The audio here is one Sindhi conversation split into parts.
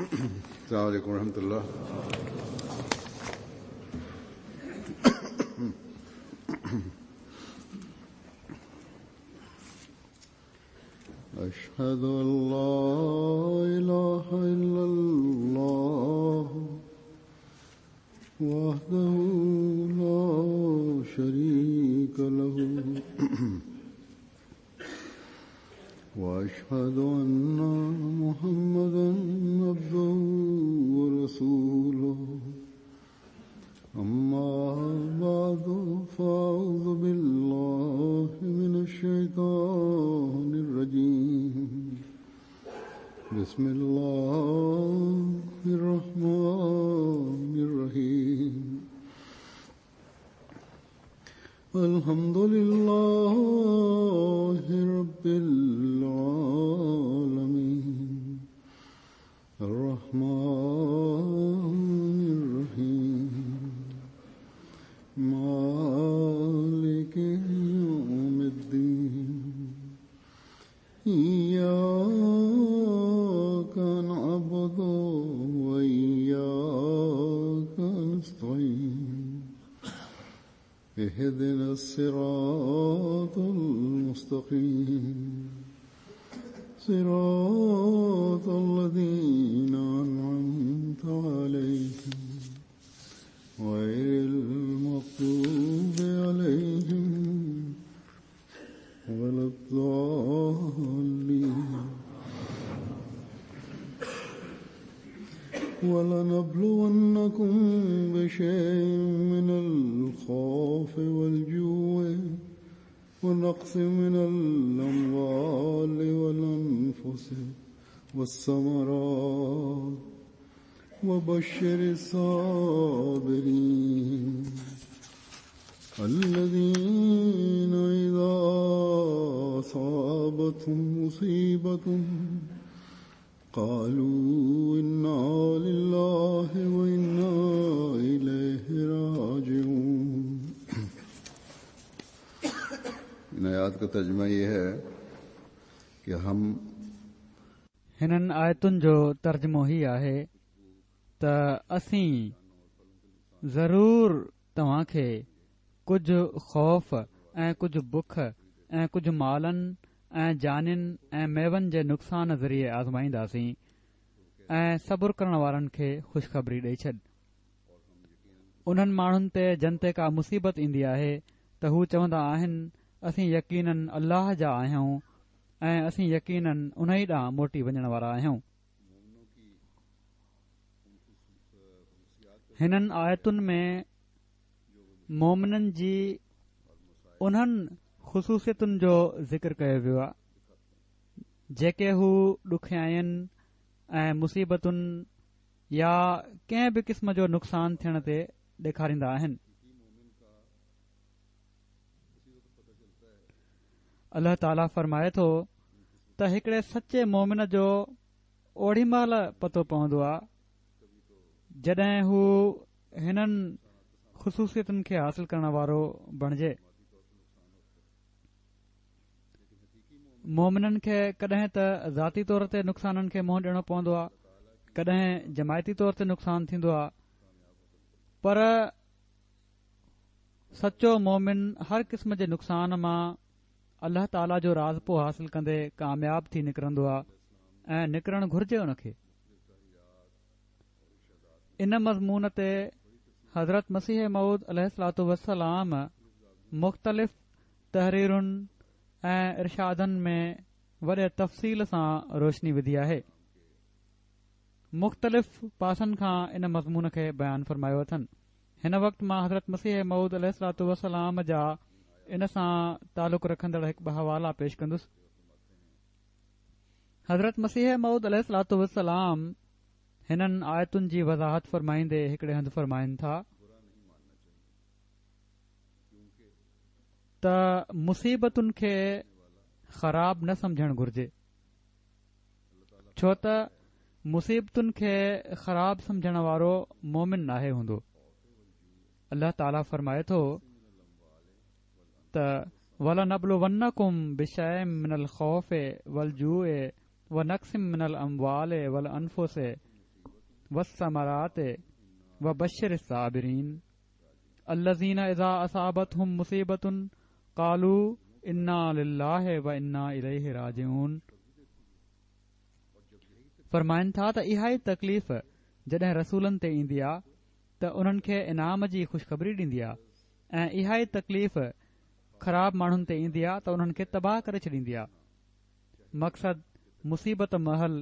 السلام عليڪم ورحمة الله. أشهد أن لا إله إلا الله وحده لا شريك له وأشهد أن محمدا عبده ورسوله أما بعد فأعوذ بالله من الشيطان الرجيم بسم الله الرحمن الرحيم الحمد لله رب العالمين الرحمن الرحيم مالك يوم الدين إياك نعبد وإياك نستعين اهدنا الصراط المستقيم صراط الذين أنعمت عليهم غير المغضوب عليهم ولا الضالين ولنبلونكم بشيء من الخوف والجوع ونقص من الأموال والأنفس والثمرات وبشر الصابرين الذين إذا أصابتهم مصيبة قالوا إنا لله وإنا إليه راجعون. इन आयात का तर्जुमा ये है कि हम हिननि आयतुनि जो तर्जुमो ही आहे त असीं ज़रूर तव्हां खे कुझु ख़ौफ़ ऐं कुझु बुख ऐं कुझु मालनि ऐं जानियुनि ऐं मेवनि जे नुक़सान ज़रिए आज़माईंदासीं ऐं सब्र करण वारनि खे ख़ुशख़बरी ॾेई छॾ। उन्हनि माण्हुनि ते जन ते का मुसीबत ईंदी आहे त हू चवंदा आहिनि, असीं यकीनन अल्लाह जा आहियूं ऐं असीं यकीनन उन ई ॾांहुं मोटी वञण वारा आहियूं। हिननि आयतुनि में मोमिननि जी उन्हनि ख़ुसूसियतुनि जो ज़िक्र कयो वियो आहे जेके हू ॾुखियाइनि ऐं मुसीबतुनि या कंहिं बि क़िस्म जो नुक़सान थियण ते ॾेखारींदा आहिनि। अलाह ताला फरमाए थो त हिकिड़े सचे मोमिन जो ओॾी महिल पतो पवंदो आहे जॾहिं हू हिननि ख़ुसूसियतुनि खे हासिल करण वारो बणिजे। मोमिननि खे कॾहिं त ज़ाती तौर ते नुक़साननि खे मुंहुं ॾियणो पवंदो आहे, कॾहिं जमायती तौर ते नुक़सान थींदो आहे, पर सचो मोमिन हर क़िस्म जे नुक़सान मां अलाह ताला जो राज़पो हासिल कंदे कामयाब थी निकिरंदो आहे ऐं निकिरणु घुर्जे उनखे। इन मज़मून ते हज़रत मसीह मऊद अलैहिस्सलातु वस्सलाम मुख़्तलिफ़ तहरीरुनि ऐं इरशादनि में वॾे तफ़सील सां रोशनी विधी आहे। मुख़्तलिफ़ पासनि खां इन मज़मून खे बयानु फरमायो अथनि। हिन वक़्तु मां हज़रत मसीह मऊद अलैहिस्सलातु वस्सलाम जा इन सां तालुक़ रखंदड़ हिकु ॿ हवाला पेश कंदुसि। हज़रत मसीह मऊद अलैहिस्सलातु वस्सलाम हिननि आयतुनि जी वज़ाहत फरमाईंदे हिकिड़े हंधि फरमाइनि था त मुसीबतुनि खे ख़राब न सम्झणु घुर्जे, छो त मुसीबतुनि खे ख़राब सम्झण वारो मोमिन नाहे हूंदो। अलाह ताला फरमाए थो त वलनबलुवन्नकुम बिशैइन मिनल ख़ौफ़ वलजूअ व नक़्सिम मिनल अमवाल वल अनफुस والثمرات وبشر الصابرين الذين اذا اصابتهم مصيبة قالوا انا لله وانا اليه راجعون فرمائن ٿا ته اها ئي تڪليف جڏهن رسولن تي ايندي آ ته انهن کي انعام جي خوشخبري ڏيندي آ ۽ اها ئي تڪليف خراب ماڻهن تي ايندي آ ته انهن کي تباهه ڪري ڇڏيندي آ. مقصد مصيبت مهل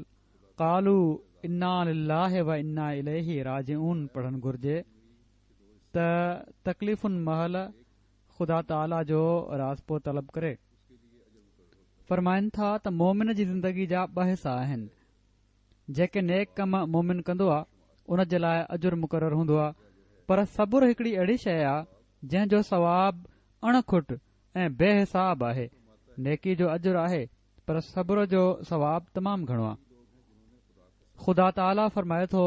قالوا انا لله و انا اليه راجعون پڙهڻ گهرجي ته تڪليفن مهل خدا تعاليٰ جو راضپو طلب ڪري. فرمائن ٿا ته مومن جي زندگي جا ٻه حصا آهن. جيڪي نيڪ ڪم مومن ڪندو آ ان جي لاء اجر مقرر هوندو آ پر صبر هڪڙي اهڙي شيء آ جنهن جو ثواب اڻ کٽ ۽ بي حساب آهي. نيڪي جو اجر آهي پر صبر جو ثواب تمام گهڻو آ. خدا تعاليٰ فرمائي ٿو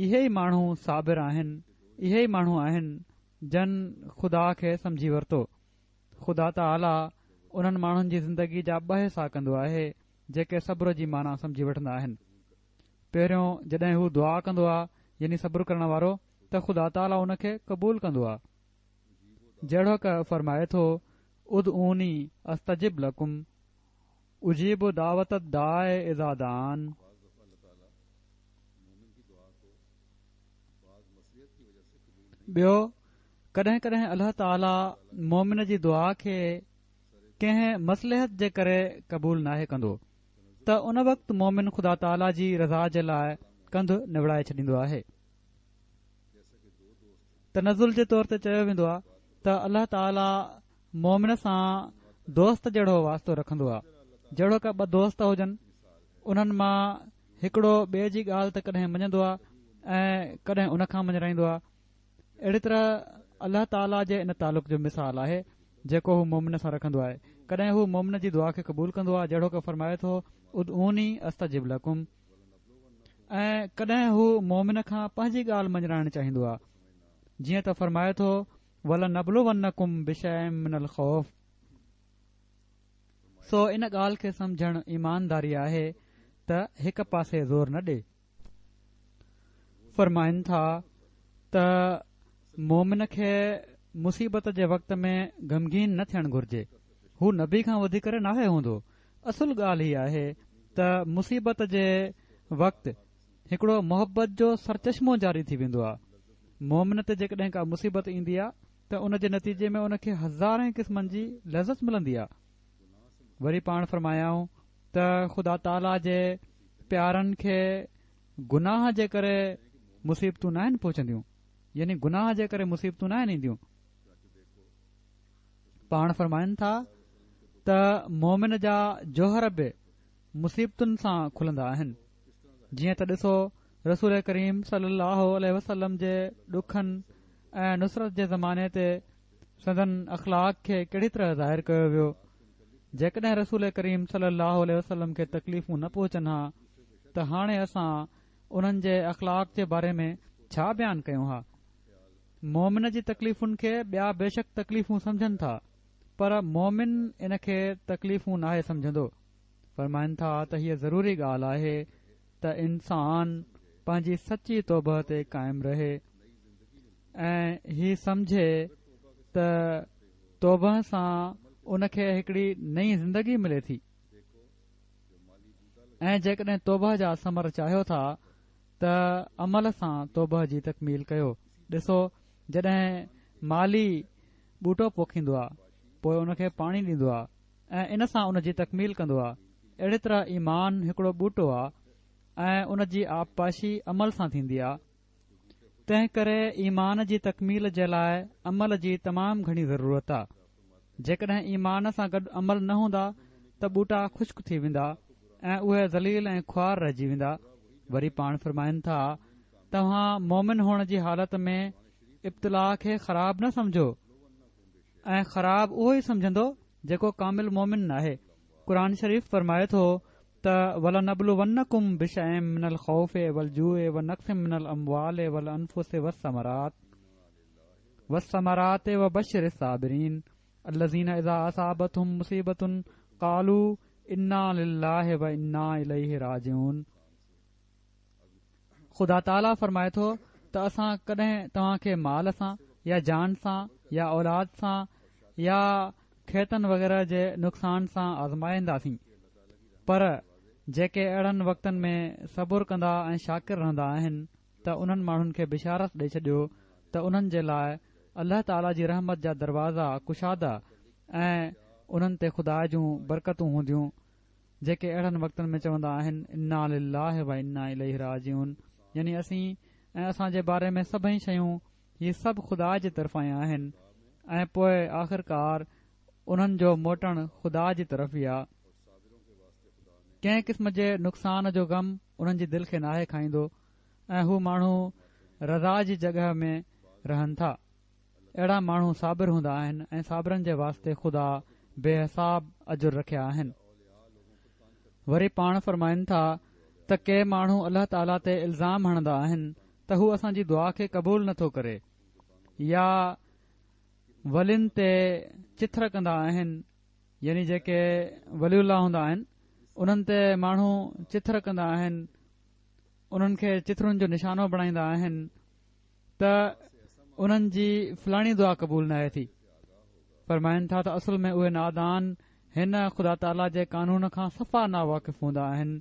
اهي ئي ماڻهو صابر آهن اهي ئي ماڻهو آهن جن خدا کي سمجهي ورتو. خدا تعاليٰ انهن ماڻهن جي زندگي جا ٻه حصا ڪندو آهي جيڪي صبر جي معنيٰ سمجهي وٺندا آهن. پهريون جڏهن هو دعا ڪندو آ يعني صبر ڪرڻ وارو ته خدا تعاليٰ ان کي قبول ڪندو آ. جهڙوڪ فرمائي ٿو ادعوني استجب لڪم اجيب دعوة الداع اذا دعان. ٻيو ڪڏهن ڪڏهن الله تعاليٰ مومن جي دعا کي ڪنهن مصلحت جي ڪري قبول ناهي ڪندو ته ان وقت مومن خدا تعاليٰ جي رضا جي لاء ڪنڌ نوڙائي ڇڏيندو آهي. تنزل جي طور تي چيو ويندو آهي ته الله تعاليٰ مومن سان دوست جهڙو واسطو رکندو آهي جهڙوڪ ٻه دوست هجن انهن مان هڪڙو ٻئي جي ڳالهه ته ڪڏهن مڃندو آهي ۽ ڪڏهن ان کان مڃرائيندو آهي اهڙي طرح الله تعاليٰ جي ان تعلق جو مثال آهي جيڪو هو مومن سان رکندو آهي ڪڏهن هو مومن جي دعا کي قبول ڪندو آهي جهڙوڪ فرمائي ٿو ادعوني استجب لڪم ۽ ڪڏهن هو مومن کان پنهنجي ڳالهه مڃرائڻ چاهيندو آهي جيئن ته فرمائي ٿو ولنبلونڪم بشيء من الخوف سو ان ڳالهه کي سمجهڻ ايمانداري آهي ته هڪ پاسي زور نه ڏي فرمائن ٿا ته مومن کي مصيبت جي وقت ۾ غمگين نه ٿيڻ گهرجي هو نبي کان وڌي ڪري ناهي هوندو اصل ڳالهه هي آهي ته مصيبت جي وقت هڪڙو محبت جو سرچشمو جاري ٿي ويندو آهي مومن تي جيڪڏهن ڪا مصيبت ايندي آهي ته ان جي نتيجي ۾ ان کي هزارين قسمن جي لذت ملندي آهي وري پاڻ فرمايائون ته خدا تعاليٰ جي پيارن کي گناهه جي ڪري مصيبتون ناهن پهچنديون يعني گناهه جي ڪري مصيبتون ناهن اينديون. پاڻ فرمائن ٿا ته مومن جا جوهر به مصيبتن سان کلندا آهن جيئن ته ڏسو رسول ڪريم صلي الله عليه وسلم جي ڏکن ۽ نصرت جي زماني تي سندن اخلاق کي ڪهڙي طرح ظاهر ڪيو ويو جيڪڏهن رسول ڪريم صلي الله عليه وسلم کي تڪليفون نه پهچن ها ته هاڻي اسان انهن جي اخلاق جي باري ۾ ڇا بيان ڪيون ها مومن جي تڪليفن کي ٻيا بيشڪ تڪليفون سمجهن ٿا پر مومن ان کي تڪليفون ناهي سمجهندو فرمائن ٿا ته هيء ضروري ڳالهه آهي ته انسان پنهنجي سچي توبه تي قائم رهي ۽ هي سمجهي ته توبه سان ان کي هڪڙي نئين زندگي ملي ٿي ۽ جيڪڏهن توبه جا ثمر چاهيو ٿا ته عمل سان توبه جي تڪميل ڪيو ڏسو جڏهن مالي ٻوٽو پوکيندو آ پوء ان کي پاڻي ڏيندو آ ۽ ان سان ان جي تڪميل ڪندو آ اهڙي طرح ايمان هڪڙو ٻوٽو آ ۽ ان جي آبپاشي عمل سان ٿيندي آ تنهن ڪري ايمان جي تڪميل جي لاء عمل جي تمام گهڻي ضرورت آ. جيڪڏهن ايمان سان گڏ عمل نه هوندا ته ٻوٽا خشڪ ٿي ويندا ۽ اهي ذليل ۽ خوار رهجي ويندا. وري پاڻ فرمائن ٿا، توهان مؤمن هئڻ جي حالت ۾ ابتلاء کي خراب نه سمجهو ۽ خراب اهو ئي سمجهندو جيڪو ڪامل مؤمن ناهي. قرآن شريف فرمائي ٿو ته ولنبلونڪم بشيء من الخوف والجوع ونقص من الاموال والانفس والثمرات والثمرات وبشر الصابرين الذين اذا اصابتهم مصيبة قالوا انا لله وانا اليه راجعون. خدا تعاليٰ فرمائي ٿو ته اسان ڪڏهن توهان کي مال سان يا جان سان يا اولاد سان يا کيتن وغيره جي نقصان سان آزمائينداسين پر جيڪي اهڙن وقتن ۾ صبر ڪندا ۽ شاڪر رهندا آهن ته انهن ماڻهن کي بشارت ڏئي ڇڏيو ته انهن جي لاء الله تعاليٰ جي رحمت جا دروازا ڪشاده ۽ انهن تي خدا جون برڪتون هونديون جيڪي اهڙن وقتن ۾ چوندا آهن انا لله و انا اليه راجعون يعني اسين ۽ اسان جي باري ۾ سڀئي شيون هي سڀ خدا جي طرفان ئي آهن ۽ پوء آخرڪار انهن جو موٽڻ خدا جي طرف ئي آ. ڪنهن قسم جي نقصان جو غم انهن جي دل کي ناهي کائيندو ۽ هو ماڻهو رضا جي جڳهه ۾ رهن ٿا. اهڙا ماڻهو صابر هوندا آهن ۽ صابرن جي واسطي خدا بي حساب اجر رکيا آهن. وري پاڻ فرمائن ٿا ته ڪي ماڻهو الله تعاليٰ تي الزام هڻندا آهن ته هو اسان جي دعا کي قبول نٿو ڪري يا ولين تي چٿر ڪندا آهن يعني جيڪي ولي الله هوندا آهن انهن تي ماڻهو چٿر ڪندا آهن انهن کي چٿرن جو نشانو بڻائيندا آهن ته انهن جي فلاڻي دعا قبول ناهي ٿي. فرمائن ٿا ته اصل ۾ اهي نادان هن خدا تعاليٰ جي قانون کان صفا ناواقف هوندا آهن.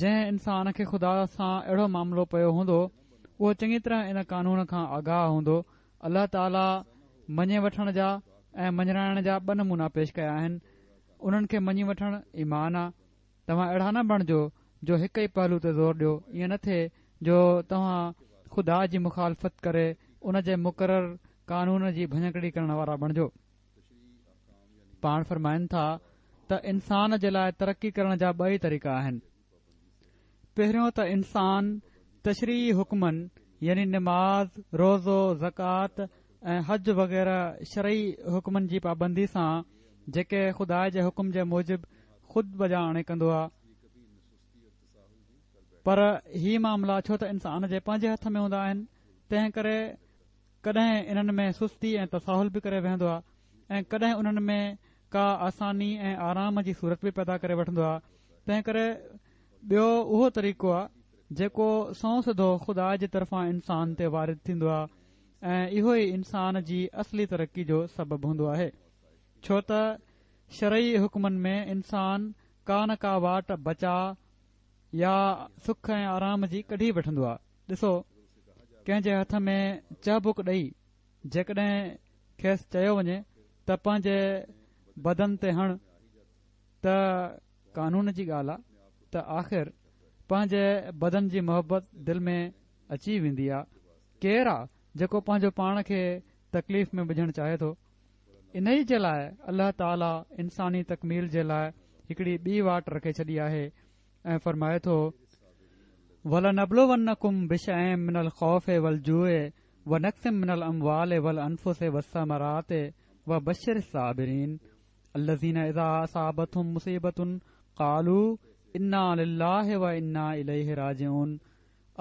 جنهن انسان کي خدا سان اهڙو معاملو پيو هوندو اهو چڱي طرح ان قانون کان آگاهه هوندو. الله تعاليٰ مڃي وٺڻ جا ۽ مڃرائڻ جا ٻه نمونا پيش ڪيا آهن. انهن کي مڃي وٺڻ ايمان آ. توهان اهڙا نه بڻجو جو هڪ ئي پهلو تي زور ڏيو، ائين نه ٿئي جو توهان خدا جي مخالفت ڪري ان جي مقرر قانون جي ڀڃڪڙي ڪرڻ وارا بڻجو. پاڻ فرمائن ٿا ته انسان جي لاء ترقي ڪرڻ جا ٻه ئي طريقا آهن. پهريون ته انسان تشريعي حڪمن يعني نماز، روزو، زڪوات ۽ حج وغيره شرعي حڪمن جي پابندي سان جيڪي خدا جي حڪم جي موجب خود بجا آڻي ڪندو آ پر هي معاملا ڇو ته انسان جي پنهنجي هٿ ۾ هوندا آهن تنهن ڪري ڪڏهن انهن ۾ سستي ۽ تساهل به ڪري ويهندو آ ۽ ڪڏهن انهن ۾ ڪا آساني ۽ آرام جي صورت به پيدا ڪري وٺندو آ تنهن ڪري ٻيو اهو طريقو آ جيڪو سنئون سڌو خدا جي طرفان انسان تي وارد ٿيندو آ ۽ اهو ئي انسان جي اصلي ترقي جو سبب هوندو آهي ڇو ته شرعي حڪمن ۾ انسان ڪا نه ڪا واٽ بچاء يا سک ۽ آرام جي ڪڍي وٺندو آهي. ڏسو، ڪنهن جي هٿ ۾ چهبڪ ڏئي جيڪڏهن کيس چيو وڃي ته پنهنجي بدن تي هڻ ته قانون جي ڳالهه آ ته آخر پنهنجي بدن جي محبت دل ۾ اچي ويندي آ. ڪير آ جيڪو پنهنجو پاڻ کي تڪليف ۾ وجهڻ چاهي ٿو؟ انهيء جي لاء الله تعاليٰ انساني تڪميل جي لاء هڪڙي ٻي واٽ رکي ڇڏي آهي ۽ فرمائي ٿو، ولنبلونڪم بشيء من الخوف والجوع ونقص من الاموال والانفس والثمرات وبشر الصابرين الذين اذا اصابتهم مصيبة قالوا انا لله وانا اليه راجعون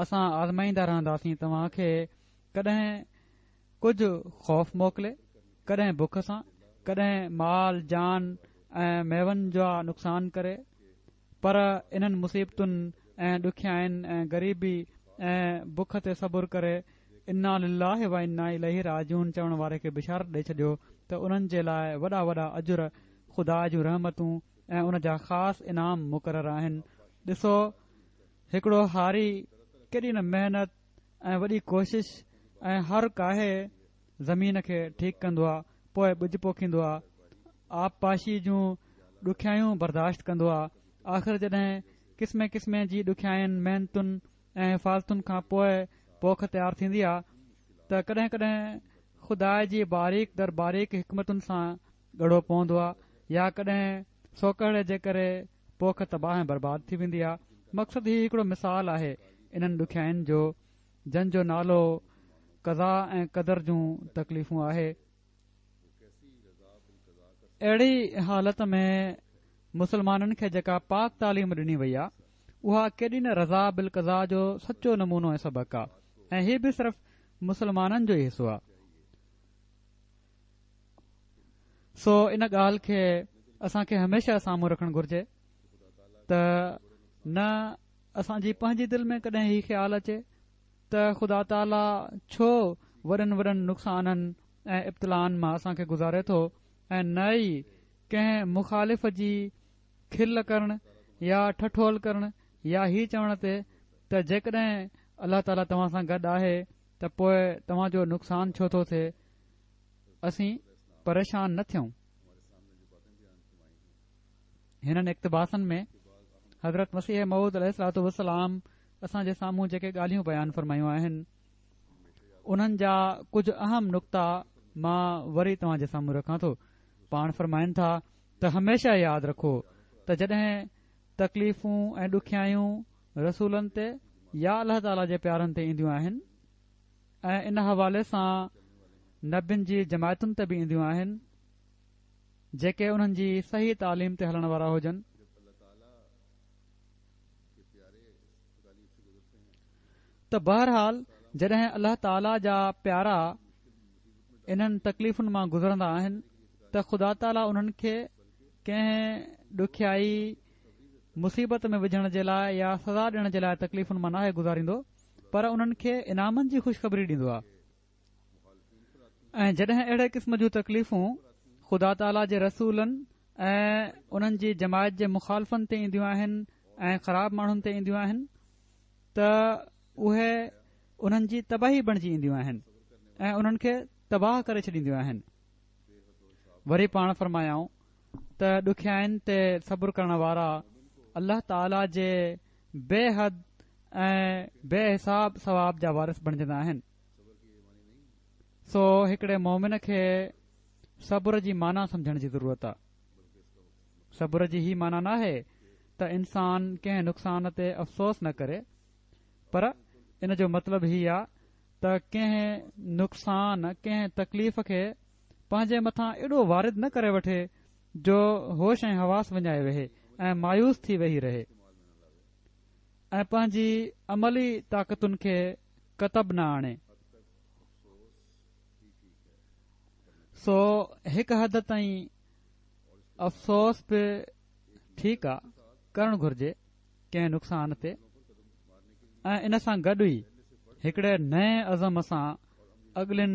اسان آزمائيندا رهنداسين توهان کي ڪڏهن ڪجهه خوف موڪلي، ڪڏهن بک سان، ڪڏهن مال جان ۽ ميون جا نقصان ڪري، پر انهن مصيبتن ۽ ڏکيائين ۽ غريبي ۽ بک تي صبر ڪري انا لله و انا اليه راجعون چوڻ واري کي بشارت ڏئي ڇڏيو ته انهن جي لاء وڏا وڏا اجر، خدا جون رحمتون ۽ ان جا خاص انعام مقرر آهن. ڏسو هڪڙو هاري ڪيڏي نه محنت ۽ وڏي ڪوشش ۽ هر ڪاهي زمين کي ٺيڪ ڪندو آ پوء ٻج پوکيندو آ آبپاشي جون ڏکيائيون برداشت ڪندو آ آخر جڏهن قسمين قسمين جي ڏکيائين محنتن ۽ حفاظتن کان پوء پوک تيار ٿيندي آ ته ڪڏهن ڪڏهن خدا جي باريڪ در باريڪ حڪمتن سان ڳڙو پوندو آ يا ڪڏهن سوڪهڙي جي ڪري پوک تباهه ۽ برباد ٿي ويندي آ. مقصد هي هڪڙو مثال آهي انهن ڏکيائين جو جن جو نالو قضا ۽ قدر جون تڪليفون آهي. اهڙي حالت ۾ مسلمانن کي جيڪا پاڪ تعليم ڏني وئي آ اها ڪيڏي نه رضا بالقضا جو سچو نمونو ۽ سبق آ ۽ هي به صرف مسلمانن جو ئي حصو آ. سو ان ڳالهه کي اسان کي هميشه سامهون رکڻ گهرجي ته نه اسان جي پنهنجي دل ۾ ڪڏهن هي خيال اچي ته خدا تعاليٰ ڇو وڏن وڏن نقصانن ۽ ابتلائن مان اسان کي گذاري ٿو ۽ نه ئي ڪنهن مخالف جي کل ڪرڻ يا ٺٺول ڪرڻ يا هي چوڻ تي ته جيڪڏهن الله تعاليٰ توهان سان گڏ آهي ته پوء توهان جو نقصان ڇو ٿو ٿئي؟ اسين پريشان نه ٿيون. هنن اقتباسن ۾ حضرت مسيح موعود عليه الصلوة والسلام اسان جي سامهون جيڪي ڳالهيون بيان فرمايون آهن انهن جا ڪجهه اهم نڪتا مان وري توهان جي سامهون رکان ٿو. پاڻ فرمائن ٿا ته هميشه ياد رکو ته جڏهن تڪليفون ۽ ڏکيائيون رسولن تي يا الله تعاليٰ جي پيارن تي اينديون آهن ۽ ان حوالي سان نبين جي جماعتن تي به اينديون آهن جيڪي انهن جي صحيح تعليم تي هلڻ وارا هجن. ته بهرحال جڏهن الله تعاليٰ جا پيارا انهن تڪليفن مان گذرندا آهن ته خدا تعاليٰ انهن کي ڪنهن ڏکيائي، مصيبت ۾ وجهڻ جي لاء يا سزا ڏيڻ جي لاء تڪليفن مان ناهي گذاريندو پر انهن کي انعامن جي خوشخبري ڏيندو آهي ۽ جڏهن اهڙي قسم جون تڪليفون خدا تعاليٰ جي رسولن ۽ انهن جي جماعت جي مخالفن تي اينديون آهن ۽ خراب ماڻهن تي اينديون آهن ته اهي انهن جي تباهي بڻجي اينديون آهن ۽ انهن کي تباهه ڪري ڇڏينديون آهن. وري پاڻ فرمايائون ته ڏکيائين تي صبر ڪرڻ وارا الله تعاليٰ جي بي حد ۽ بي حساب ثواب جا وارث بڻجندا آهن. سو هڪڙي مومن کي صبر جي معنيٰ سمجهڻ جي ضرورت آ. صبر جي هي معنيٰ ناهي ته انسان ڪنهن نقصان تي افسوس نه ڪري پر ان جو مطلب هي آ ته ڪنهن نقصان، ڪنهن تڪليف کي پنهنجي مٿان ايڏو وارد نه ڪري وٺي جو هوش ۽ حواس وڃائي ويهي ۽ مايوس ٿي ويهي رهي ۽ پنهنجي عملي طاقتن کي ڪتب نه آڻي. سو هڪ حد تائين افسوس به ٺيڪ آ، ڪرڻ گهرجي. ڪنهن نقصان تي ۽ ان سان گڏ ئي هڪڙي نئين عزم سان اڳلين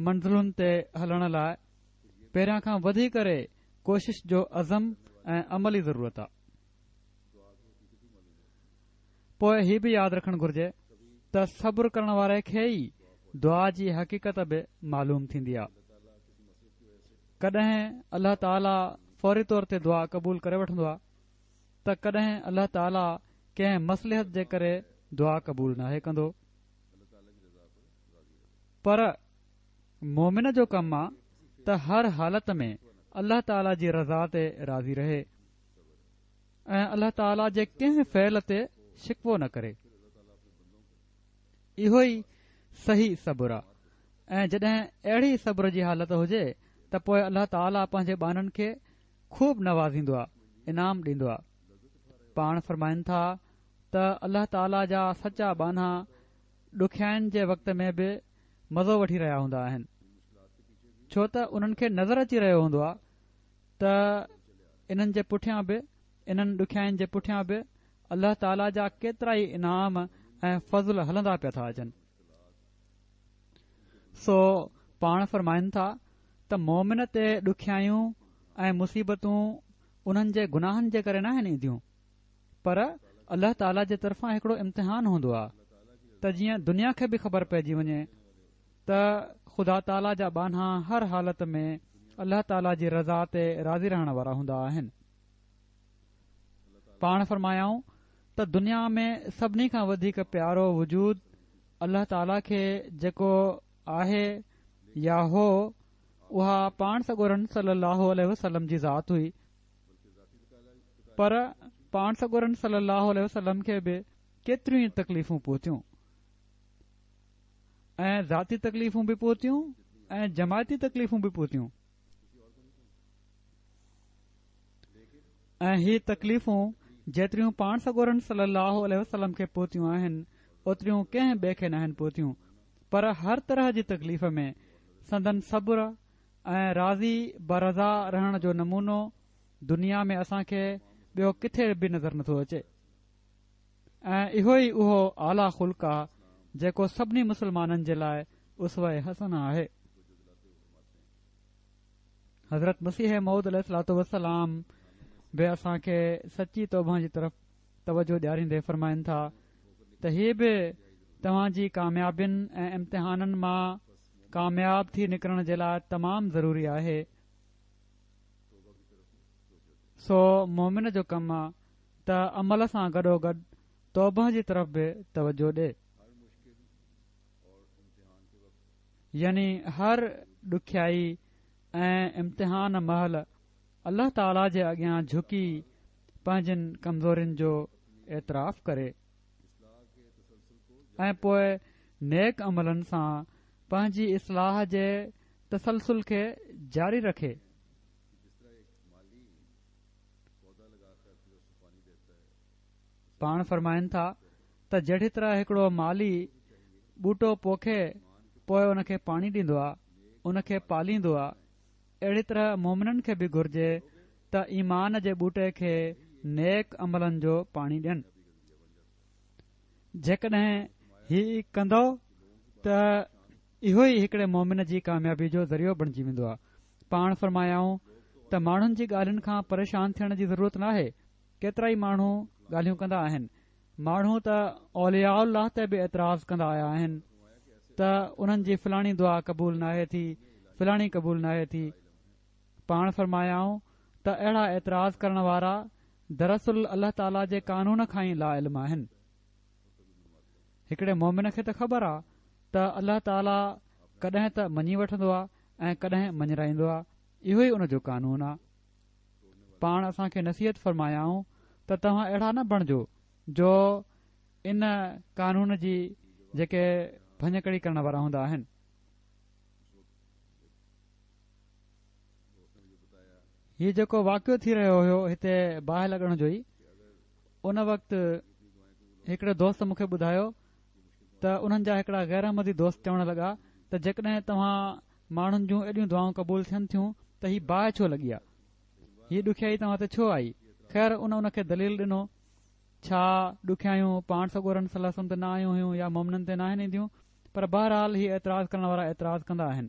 منزلن تي هلڻ لاء پهريان کان وڌي ڪري ڪوشش جو عزم ۽ عملي ضرورت آ. پوء هي به ياد رکڻ گهرجي ته صبر ڪرڻ واري کي ئي دعا جي حقيقت به معلوم ٿيندي آ. ڪڏهن الله تعاليٰ فوري طور تي دعا قبول ڪري وٺندو آ. ته ڪڏهن الله تعاليٰ ڪنهن مصلحت جي ڪري دعا قبول ناهي ڪندو پر مومن جو ڪم آ ته هر حالت ۾ الله تعاليٰ جي رضا تي راضي رهي ۽ الله تعاليٰ جي ڪنهن فعل تي شڪوو نه ڪري. اهو ئي صحيح صبر آ ۽ جڏهن اهڙي صبر جي حالت هجي ته پوء الله تعاليٰ پنهنجي ٻانهن کي خوب نوازيندو آ، انعام ڏيندو آ. پاڻ فرمائن ٿا ته الله تعاليٰ جا سچا ٻانها ڏکيائين جي وقت ۾ به مزو وٺي رهيا هوندا آهن، ڇو ته انهن کي نظر اچي رهيو هوندو آ ته انهن جي پٺيان به انهن ڏکيائين جي پٺيان به الله تعاليٰ جا ڪيترائي انعام ۽ فضل هلندا پيا ٿا اچن. سو پاڻ فرمائن ٿا ته مومن تي ڏکيائيون ۽ مصيبتون انهن جي گناهن جي ڪري ناهن اينديون پر الله تعاليٰ جي طرفان هڪڙو امتحان هوندو آهي ته جيئن دنيا کي به خبر پئجي وڃي ته خدا تعاليٰ جا ٻانها هر حالت ۾ الله تعاليٰ جي رضا تي راضي رهڻ وارا هوندا آهن. پاڻ فرمايائون ته دنيا ۾ سڀني کان وڌيڪ پيارو وجود الله تعاليٰ کي جيڪو آهي يا هو اها پاڻ سڳورن صلي الله عليه وسلم جي ذات هئي پر پاڻ سڳورن صلي الله عليه وسلم کي به ڪيتريون ئي تڪليفون پهتيون ۽ ذاتي تڪليفون به پهتيون ۽ جماعتي تڪليفون به پهتيون ۽ هي تڪليفون جيتريون پاڻ سڳورن صلي الله عليه وسلم کي پهتيون آهن اوتريون ڪنهن ٻئي کي ناهن پهتيون پر هر طرح جي تڪليف ۾ سندن صبر ۽ راضي برضا رهڻ جو نمونو دنيا ۾ اسان کي ٻيو ڪٿي به نظر نٿو اچي. ۽ اهو ئي اهو اعليٰ خلق آ جيڪو سڀني مسلمانن جي لاء اسوه حسنه آهي. حضرت مسيح موعود عليه الصلوة والسلام به اسان کي سچي توبه جي طرف توجه ڏياريندي فرمائن ٿا ته هي به توهان جي ڪاميابين ۽ امتحانن مان ڪامياب ٿي نڪرڻ جي لاء تمام ضروري آهي. سو مومن جو ڪم آ ته عمل سان گڏوگڏ توبه جي طرف به توجه ڏي. يعني هر ڏکيائي ۽ امتحان مهل الله تعاليٰ جي اڳيان جهڪي پنهنجين ڪمزورين جو اعتراف ڪري ۽ پوء نيڪ عملن سان پنهنجي اصلاح جي تسلسل کي جاري رکي. پاڻ فرمائن ٿا ته جهڙي طرح هڪڙو مالهي ٻوٽو پوکي پوء ان کي پاڻي ڏيندو آ، ان کي پاليندو آ، اهڙي طرح مومنن کي به گهرجي ته ايمان جي ٻوٽي کي نيڪ عملن جو پاڻي ڏين. جيڪڏهن هي ڪندؤ ته اهو ئي هڪڙي مومن جي ڪاميابي جو ذريعو بڻجي ويندو آ. پاڻ فرمايائون ته ماڻهن جي ڳالهين کان پريشان ٿيڻ جي ضرورت ناهي، ڪيترائي ماڻهو ڳالهيون ڪندا آهن، ماڻهو ته اولياء الله تي به اعتراض ڪندا آيا آهن ته انهن جي فلاڻي دعا قبول ناهي ٿي، فلاڻي قبول ناهي ٿي. پاڻ فرمايائون ته اهڙا اعتراض ڪرڻ وارا دراصل الله تعاليٰ جي قانون کان ئي لاعلم آهن. هڪڙي مومن کي ته خبر آ ته الله تعاليٰ ڪڏهن ته مڃي وٺندو آ ۽ ڪڏهن مڃرائيندو آ، اهو ئي ان جو قانون آ. پاڻ اسان کي نصيحت فرمايائون ته توهان اهڙا نه بڻجو جو ان قانون جي جيڪي ڀڃڪڙي ڪرڻ وارا هوندا آهن. هي جيڪو واقعو ٿي رهيو هيو هتي باهه لڳڻ جو ئي ان وقت هڪڙي دوست مون کي ٻڌايو ته انهن جا هڪڙا غير احمدي دوست چوڻ لڳا ته جيڪڏهن توهان ماڻهن جون ايڏيون دعائون قبول ٿين ٿيون ته هي باهه ڇو لڳي آ؟ هي ڏکيائي توهان تي ڇو آئي؟ خير ان ان کي دليل ڏنو، ڇا ڏکيائيون پاڻ سڳورن صلي الله عليه وسلم تي نه آيون هيون يا مومنن تي ناهن اينديون؟ پر بهرحال هي اعتراض ڪرڻ وارا اعتراض ڪندا آهن.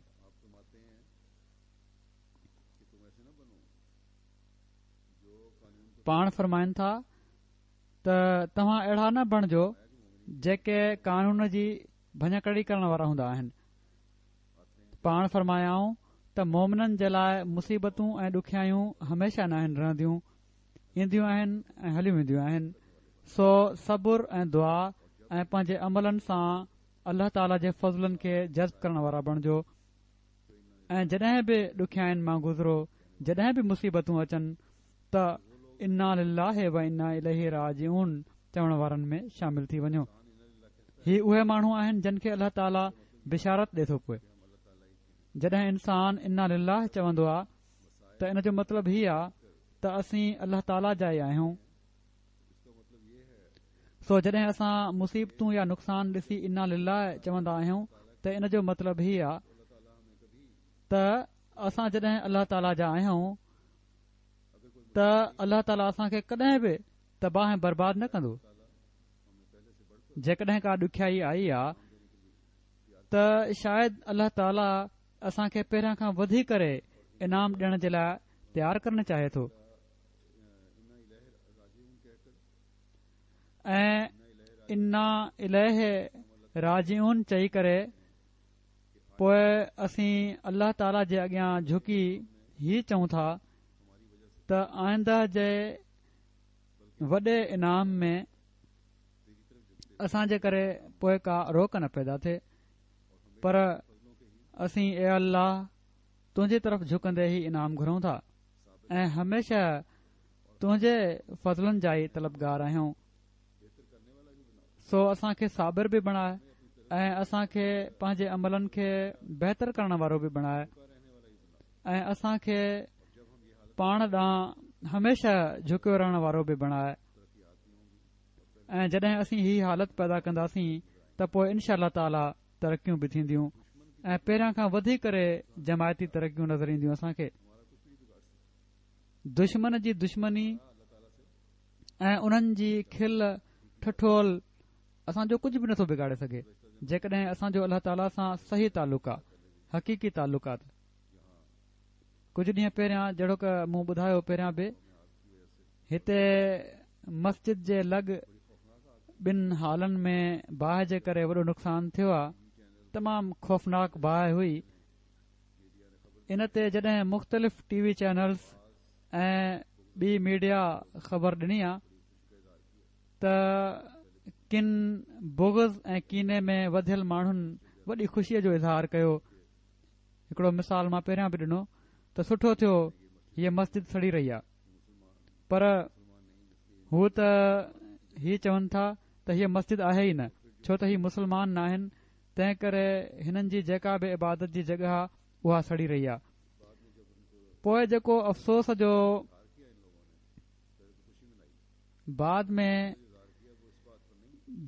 پاڻ فرمائن ٿا ته توهان اهڙا نه بڻجو جيڪي قانون جي ڀڃڪڙي ڪرڻ وارا هوندا آهن. پاڻ فرمايائون ته مومنن جي لاء مصيبتون ۽ ڏکيائيون هميشه ناهن رهنديون، اينديون آهن ۽ هليون وينديون آهن، سو صبر ۽ دعا ۽ پنهنجي عملن سان الله تعالي جي فضلن کي جذب ڪرڻ وارا بڻجو ۽ جڏهن به ڏکيائين مان گذرو، جڏهن به مصيبتون اچن ته انا لله و انا اليه راجعون چوڻ وارن ۾ شامل ٿي وڃو. هي اهي ماڻهو آهن جن کي الله تعالي بشارت ڏي ٿو پوء جڏهن انسان انا لله چوندو آ ته ان جو مطلب هي آ ته اسين الله تعالي جا ئي آهيون. سو جڏهن اسان مصيبتون يا نقصان ڏسي انا لله چوندا آهيون ته ان جو مطلب هي آ ته اسان جڏهن الله تعالي جا آهيون ته الله تعالي اسان کي ڪڏهن به تباهه ۽ برباد نه ڪندو. جيڪڏهن ڪا ڏکيائي آئي آ ته شايد الله تعالي اسان کي پهريان کان وڌي ڪري انعام ڏيڻ جي لاء تيار ڪرڻ چاهي ٿو ۽ انا اليه راجعون چئي ڪري پوء اسين الله تعالي جي اڳيان جهڪي هي چئون ٿا ته آئنده جي وڏي انعام ۾ اسان جي ڪري پوء ڪا روڪ نه پيدا ٿئي پر اسين اي الله تنهنجي طرف جهڪندي هي انعام گهرون ٿا ۽ هميشه تنهنجي فضلن جا ئي طلبگار آهيون سو اسان کي صابر به بڻاء ۽ اسان کي پنهنجي عملن کي بهتر ڪرڻ وارو به بڻاء ۽ اسان کي پاڻ ڏانهن هميشه جهڪيو رهڻ وارو به بڻاء ۽ جڏهن اسين هي حالت پيدا ڪنداسين ته پوء انشاء الله تعاليٰ ترقيون به ٿينديون ۽ پهريان کان وڌي ڪري جماعتي ترقيون نظر اينديون اسان کي دشمن جي دشمني ۽ انهن جي کل ٺٺول اسان جو ڪجهه به نٿو بگاڙي سگهي جيڪڏهن اسان جو الله تعاليٰ سان صحيح تعلق آ، حقيقي تعلق آ ته. ڪجهه ڏينهن پهريان جهڙوڪ مون ٻڌايو پهريان به هتي مسجد جي لڳ ٻن هالن ۾ باهه جي ڪري وڏو نقصان ٿيو آ تمام خوفناڪ باهه هئي ان تي جڏهن مختلف ٽي وي چينلز ۽ ٻي ميڊيا خبر ڏني آ ته ڪن بغض ۽ ڪيني ۾ وڌيل ماڻهن وڏي خوشيء جو اظهار ڪيو هڪڙو مثال مان پهريان به ڏنو ته سٺو ٿيو هيء مسجد سڙي رهي آ پر هو ته هي چون ٿا ته هيء مسجد آهي ئي نه ڇو ته هي مسلمان ناهن تنهن ڪري هنن جي جيڪا به عبادت جي جڳهه آ اها سڙي رهي آ پوء جيڪو افسوس جو بعد ۾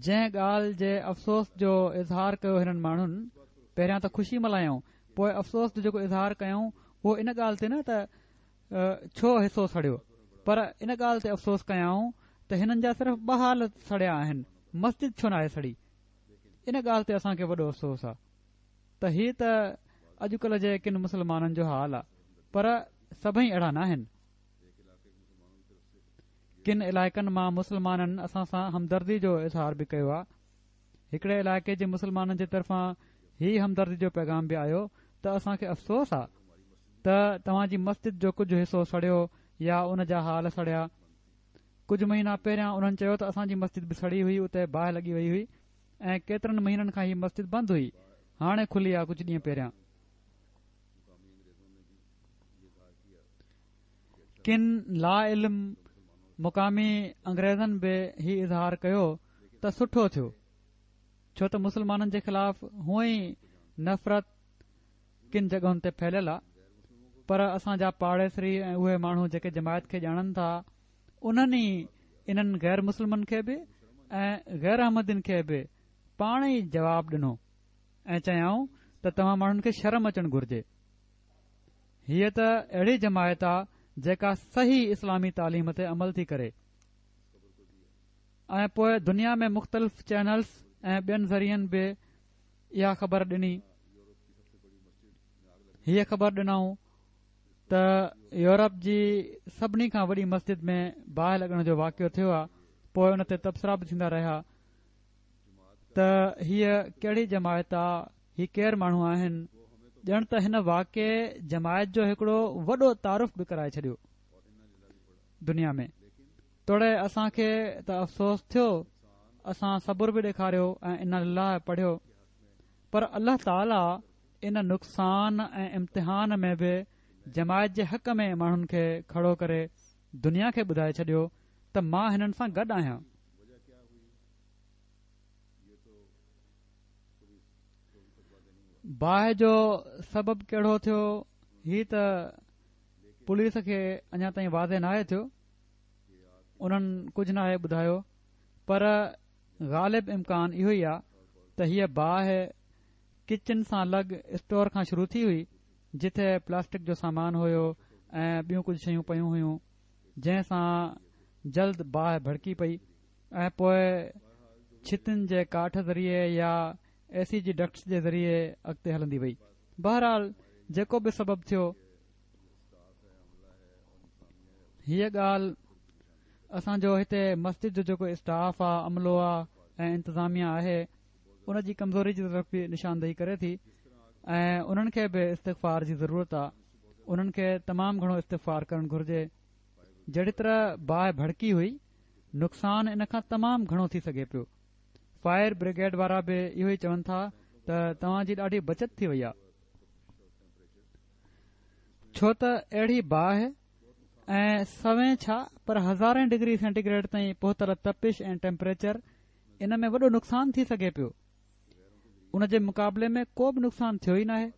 جنهن ڳالهه جي افسوس جو اظهار ڪيو هنن ماڻهن پهريان ته خوشي ملهايائون پوء افسوس جو جيڪو اظهار ڪيائون اهو ان ڳالهه تي نه ته ڇو حصو سڙيو پر ان ڳالهه تي افسوس ڪيائون ته هنن جا صرف ٻه هال سڙيا آهن مسجد ڇو ناهي سڙي ان ڳالهه تي اسان کي وڏو افسوس آهي ته هي ته اڄڪلهه جي ڪن مسلمانن جو حال آهي پر سڀئي اهڙا ناهن ڪن علائقن مان مسلمانن اسان سان همدردي جو اظهار به ڪيو آهي. هڪڙي علائقي جي مسلمانن جي طرفان هي همدردي جو پيغام به آيو ته اسان کي افسوس آ ته توهان جي مسجد جو ڪجهه حصو سڙيو يا ان جا هال سڙيا. ڪجهه مهينا پهريان انهن چيو ته اسان جي مسجد به سڙي هئي اتي باهه لڳي وئي هئي ۽ ڪيترن مهينن کان هي مسجد بند هئي هاڻي کلي آ ڪجهه ڏينهن پهريان. ڪن لاعلم مقامي انگريزن به هي اظهار ڪيو ته سٺو ٿيو ڇو ته مسلمانن جي خلاف هونئن ئي نفرت ڪن جڳهن تي ڦهليل آ پر اسان جا پاڙيسري ۽ اهي ماڻهو جيڪي جماعت کي ڄاڻن ٿا انهن ئي انهن غير مسلمن کي به ۽ غير احمدين کي به پاڻ ئي جواب ڏنو ۽ چيائون ته توهان ماڻهن کي شرم اچڻ گهرجي هيء ته اهڙي جماعت آ جيڪا صحيح اسلامي تعليم تي عمل ٿي ڪري ۽ پوء دنيا ۾ مختلف چينلز ۽ ٻين ذريعن به اها خبر ڏني هيء خبر ڏنائون ته يورپ جي سڀني کان وڏي مسجد ۾ باهه لڳڻ جو واقعو ٿيو آ پوء ان تي تبصرا به ٿيندا رهيا ته هيء ڪهڙي جماعت آ هي ڪير ماڻهو آهن؟ ڄڻ ته هن واقعي جماعت جو هڪڙو وڏو تعارف به ڪرائي ڇڏيو دنيا ۾ توڙي اسان کي ته افسوس ٿيو اسان صبر به ڏيکاريو ۽ انا لله پڙهيو پر الله تعالي ان نقصان ۽ امتحان ۾ به جماعت جي حق ۾ ماڻهن کي کڙو ڪري دنيا کي ٻڌائي ڇڏيو ته مان هنن سان گڏ آهيان. باهه جو سبب ڪهڙو ٿيو هي ته پوليس کي اڃا تائين واضح ناهي ٿيو انهن ڪجهه ناهي ٻڌايو پر غالب امڪان اهو ئي آهي ته هيء باهه ڪچن سان لڳ اسٽور کان شروع ٿي هئي جتي پلاسٽڪ جو سامان هيو ۽ ٻيون ڪجهه شيون پيون هيون جنهن سان جلد باهه ڀڙڪي پئي ۽ پوء ڇتن جي ڪاٺ ذريعي يا اي سي جي ڊڪٽس جي ذريعي اڳتي هلندي وئي. بهرحال جيڪو به سبب ٿيو، هيء ڳالهه اسان جو هتي مسجد جو جيڪو اسٽاف آ، عملو آ ۽ انتظاميا آهي ان جي ڪمزوري جي طرف به نشاندهي ڪري ٿي ۽ انهن کي به استغفار جي ضرورت آ، انهن کي تمام گهڻو استغفار ڪرڻ گهرجي. جهڙي طرح باهه ڀڙڪي هئي نقصان ان کان تمام گهڻو ٿي سگهي پيو. فائر برگيڊ وارا به اهو ئي چون ٿا ته توهان جي ڏاڍي بچت ٿي وئي آ. ڇو ته اهڙي باهه ۽ سوين ڇا پر هزارين ڊگري سينٽي گريڊ تائين پهتل تپش ۽ ٽيمپريچر ان ۾ وڏو نقصان ٿي سگهي پيو. ان جي مقابلي ۾ ڪو به نقصان ٿيو ئي ناهي.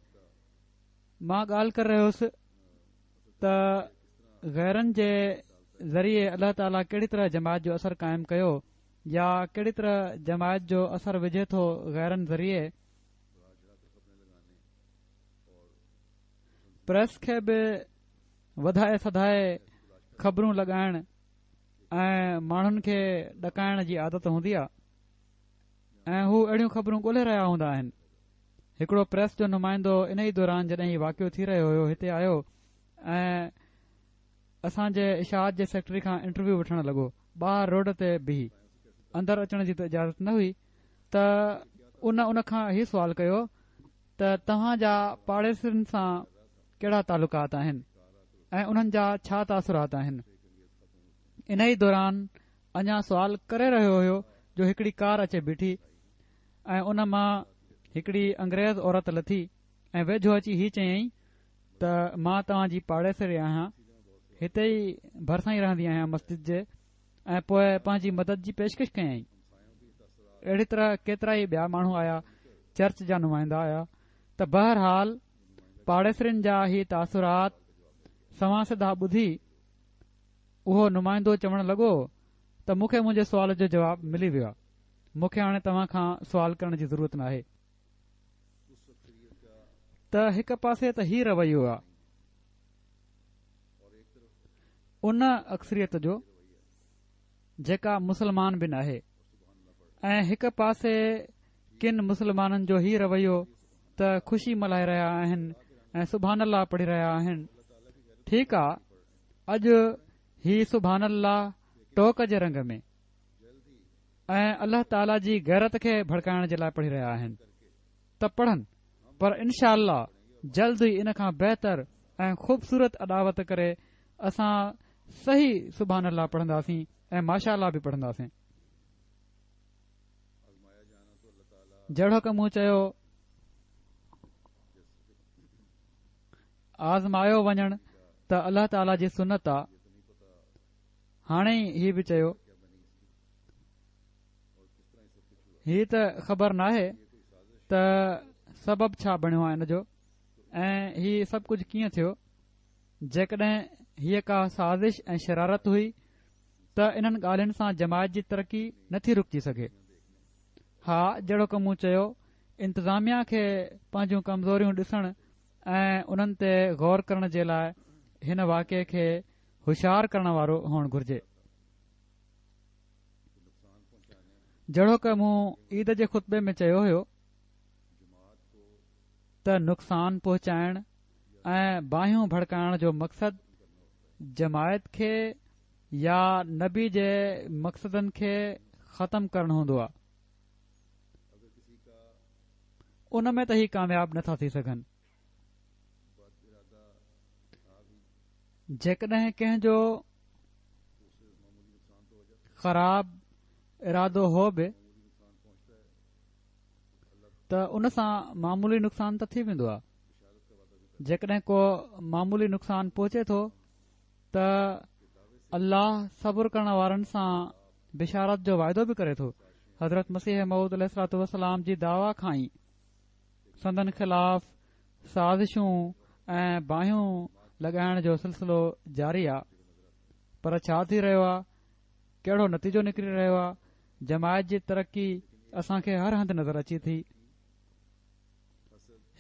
مان ڳالهه ڪري رهيو هوس ته غيرن جي ذريعي الله تعاليٰ ڪهڙي طرح جماعت جو اثر قائم ڪيو يا ڪهڙي طرح جماعت جو اثر وجهي ٿو غيرن ذريعي پريس کي به وڌائي سڌائي خبرون لڳائڻ. ۽ ماڻهن کي ڏڪائڻ جي عادت هوندي آ ۽ هو اهڙيون خبرون ڳولهي رهيا هوندا آهن. هڪڙو پريس جو نمائندو انهي دوران جڏهن هي واقعو ٿي رهيو هيو هتي آيو ۽ اسان جي اشاعت جي سيڪريٽري کان انٽرويو وٺڻ لڳو ٻاهر روڊ تي بيهي اندر اچڻ جي ته اجازت نه هئي ته ان ان کان هي سوال ڪيو ته توهان جا پاڙيسرين سان ڪهڙا تعلقات آهن ۽ انهن جا ڇا تاثرات آهن؟ انهي دوران اڃا سوال ڪري رهيو هيو جو هڪڙي ڪار اچي بيٺي ۽ ان مان هڪڙي انگريز عورت لٿي ۽ ويجهو اچي هي چيائين ته مان توهان جي پاڙيسري آهيان هتي ئي ڀرسان ئي رهندي آهيان مسجد جي ۽ پوء پنهنجي مدد جي پيشڪش ڪيائين. اهڙي طرح ڪيترائي ٻيا ماڻهو آيا، چرچ جا نمائندا آيا ته بهرحال پاڙيسرين جا هي تاثرات سنوان سڌا ٻڌي اهو نمائندو چوڻ لڳو ته مون کي منهنجي سوال جو جواب ملي ويو آهي، مون کي هاڻي توهان کان سوال ڪرڻ جي ضرورت ناهي. ته هڪ پاسي ته هي رويو آ. ان اڪثريت جو جيڪا مسلمان به ناهي ۽ هڪ پاسي ڪن مسلمانن جو هي رويو ته خوشي ملهائي رهيا آهن ۽ سبحان الله پڙهي رهيا آهن ٺيڪ آ اڄ هي سبحان الله ٽوڪ جي رنگ ۾ ۽ الله تعالي جي غيرت کي ڀڙڪائڻ جي لاء پڙهي رهيا آهن ته پڙهن پر انشاء الله جلد ئي ان کان بهتر ۽ خوبصورت اڏاوت ڪري اسان صحيح سبحان الله پڙهنداسين ۽ ماشاء الله به پڙهنداسين. جهڙوڪ مون چيو آزمايو وڃڻ ته الله تعالي جي سنت آ. هاڻي هي به چيو هي ته خبر ناهي ته سبب ڇا بڻيو آهي ان جو ۽ هي سڀ ڪجهه ڪيئن ٿيو جيڪڏهن هيء ڪا سازش ۽ شرارت هئي ته انهن ڳالهين سان جماعت جي ترقي نٿي رڪجي سگهي ها جهڙوڪ مون چيو انتظاميا کي پنهنجون ڪمزوريون ڏسڻ ۽ انهن تي غور ڪرڻ جي لاء هن واقعي کي هوشيار ڪرڻ وارو هئڻ گهرجي. جهڙوڪ مون عيد جي خطبي ۾ چيو هيو ته نقصان پهچائڻ ۽ باهيون ڀڙڪائڻ جو مقصد جماعت کي يا نبي جي مقصدن کي ختم ڪرڻ هوندو آهي ان ۾ ته هي ڪامياب نٿا ٿي سگهن. جيڪڏهن ڪنهن جو خراب ارادو هو به ته ان سان معمولي نقصان ته ٿي ويندو آهي جيڪڏهن ڪو معمولي نقصان پهچي ٿو ته الله صبر ڪرڻ وارن سان بشارت جو واعدو به ڪري ٿو حضرت مسيح موعود عليه الصلوة والسلام جي دعويٰ کان ئي سندن خلاف سازشون ۽ باهيون لڳائڻ جو سلسلو جاري آ پر ڇا ٿي رهيو آ ڪهڙو نتيجو نڪري رهيو آ جماعت جي ترقي اسان کي هر هنڌ نظر اچي ٿي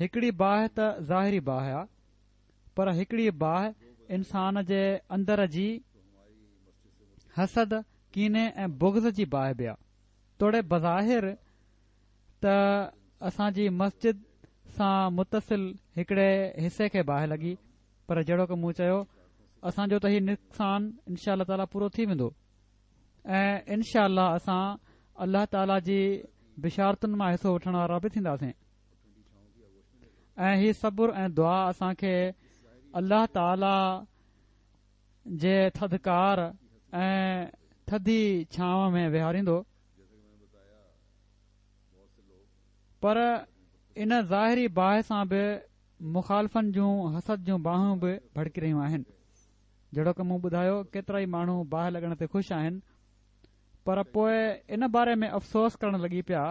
هڪڙي باهه ته ظاهري باهه آ پر هڪڙي باهه انسان جي اندر جي حسد ڪيني ۽ بغض جي باهه به آ توڙي بظاهر ته اسان جي مسجد سان متصل هڪڙي حصي کي باهه لڳي پر جهڙوڪ مون چيو اسان جو ته هي نقصان انشاء الله تعاليٰ پورو ٿي ويندو ۽ انشاء الله اسان الله تعاليٰ جي بشارتن مان حصو وٺڻ وارا به ٿينداسين ۽ هي صبر ۽ دعا اسان کي الله تعاليٰ جي ٿڌڪار ۽ ٿڌي ڇانو ۾ ويهاريندو پر ان ظاهري باهه سان به مخالفن جون حسد جون باهيون به ڀڙڪي رهيون آهن. جهڙوڪ مون ٻڌايو ڪيترائي ماڻهو باهه لڳڻ تي خوش آهن پر پوء ان باري ۾ افسوس ڪرڻ لڳي پيا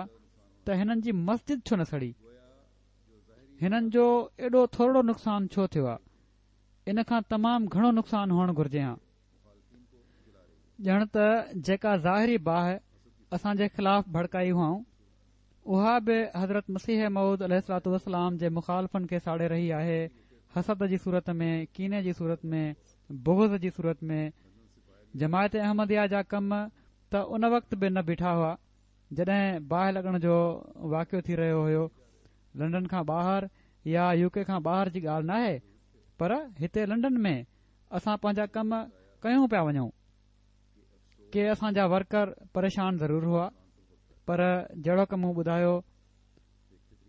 ته هنن جي مسجد ڇو نه سڙي؟ هنن جو ايڏو ٿورڙو نقصان ڇو ٿيو آ؟ ان کان تمام گهڻو نقصان هئڻ گهرجي هان. ڄڻ ته جيڪا ظاهري باهه اسان جي خلاف ڀڙڪائي هئائون اها به حضرت مسيح موعود عليه الصلوة والسلام جي مخالفن کي ساڙي رهي آهي حسد جي صورت ۾ ڪيني جي صورت ۾ بغض جي صورت ۾ جماعت احمديه جا ڪم ته ان وقت به نه بيٺا هئا جڏهن باهه لڳڻ جو واقعو ٿي رهيو هيو. لنڊن کان ٻاهر يا يو ڪي کان ٻاهر جي ڳالهه ناهي پر هتي لنڊن ۾ اسان پنهنجا ڪم ڪيون پيا وڃون. ڪي اسان جا ورڪر پريشان ضرور هئا پر جهڙوڪ مون ٻڌايو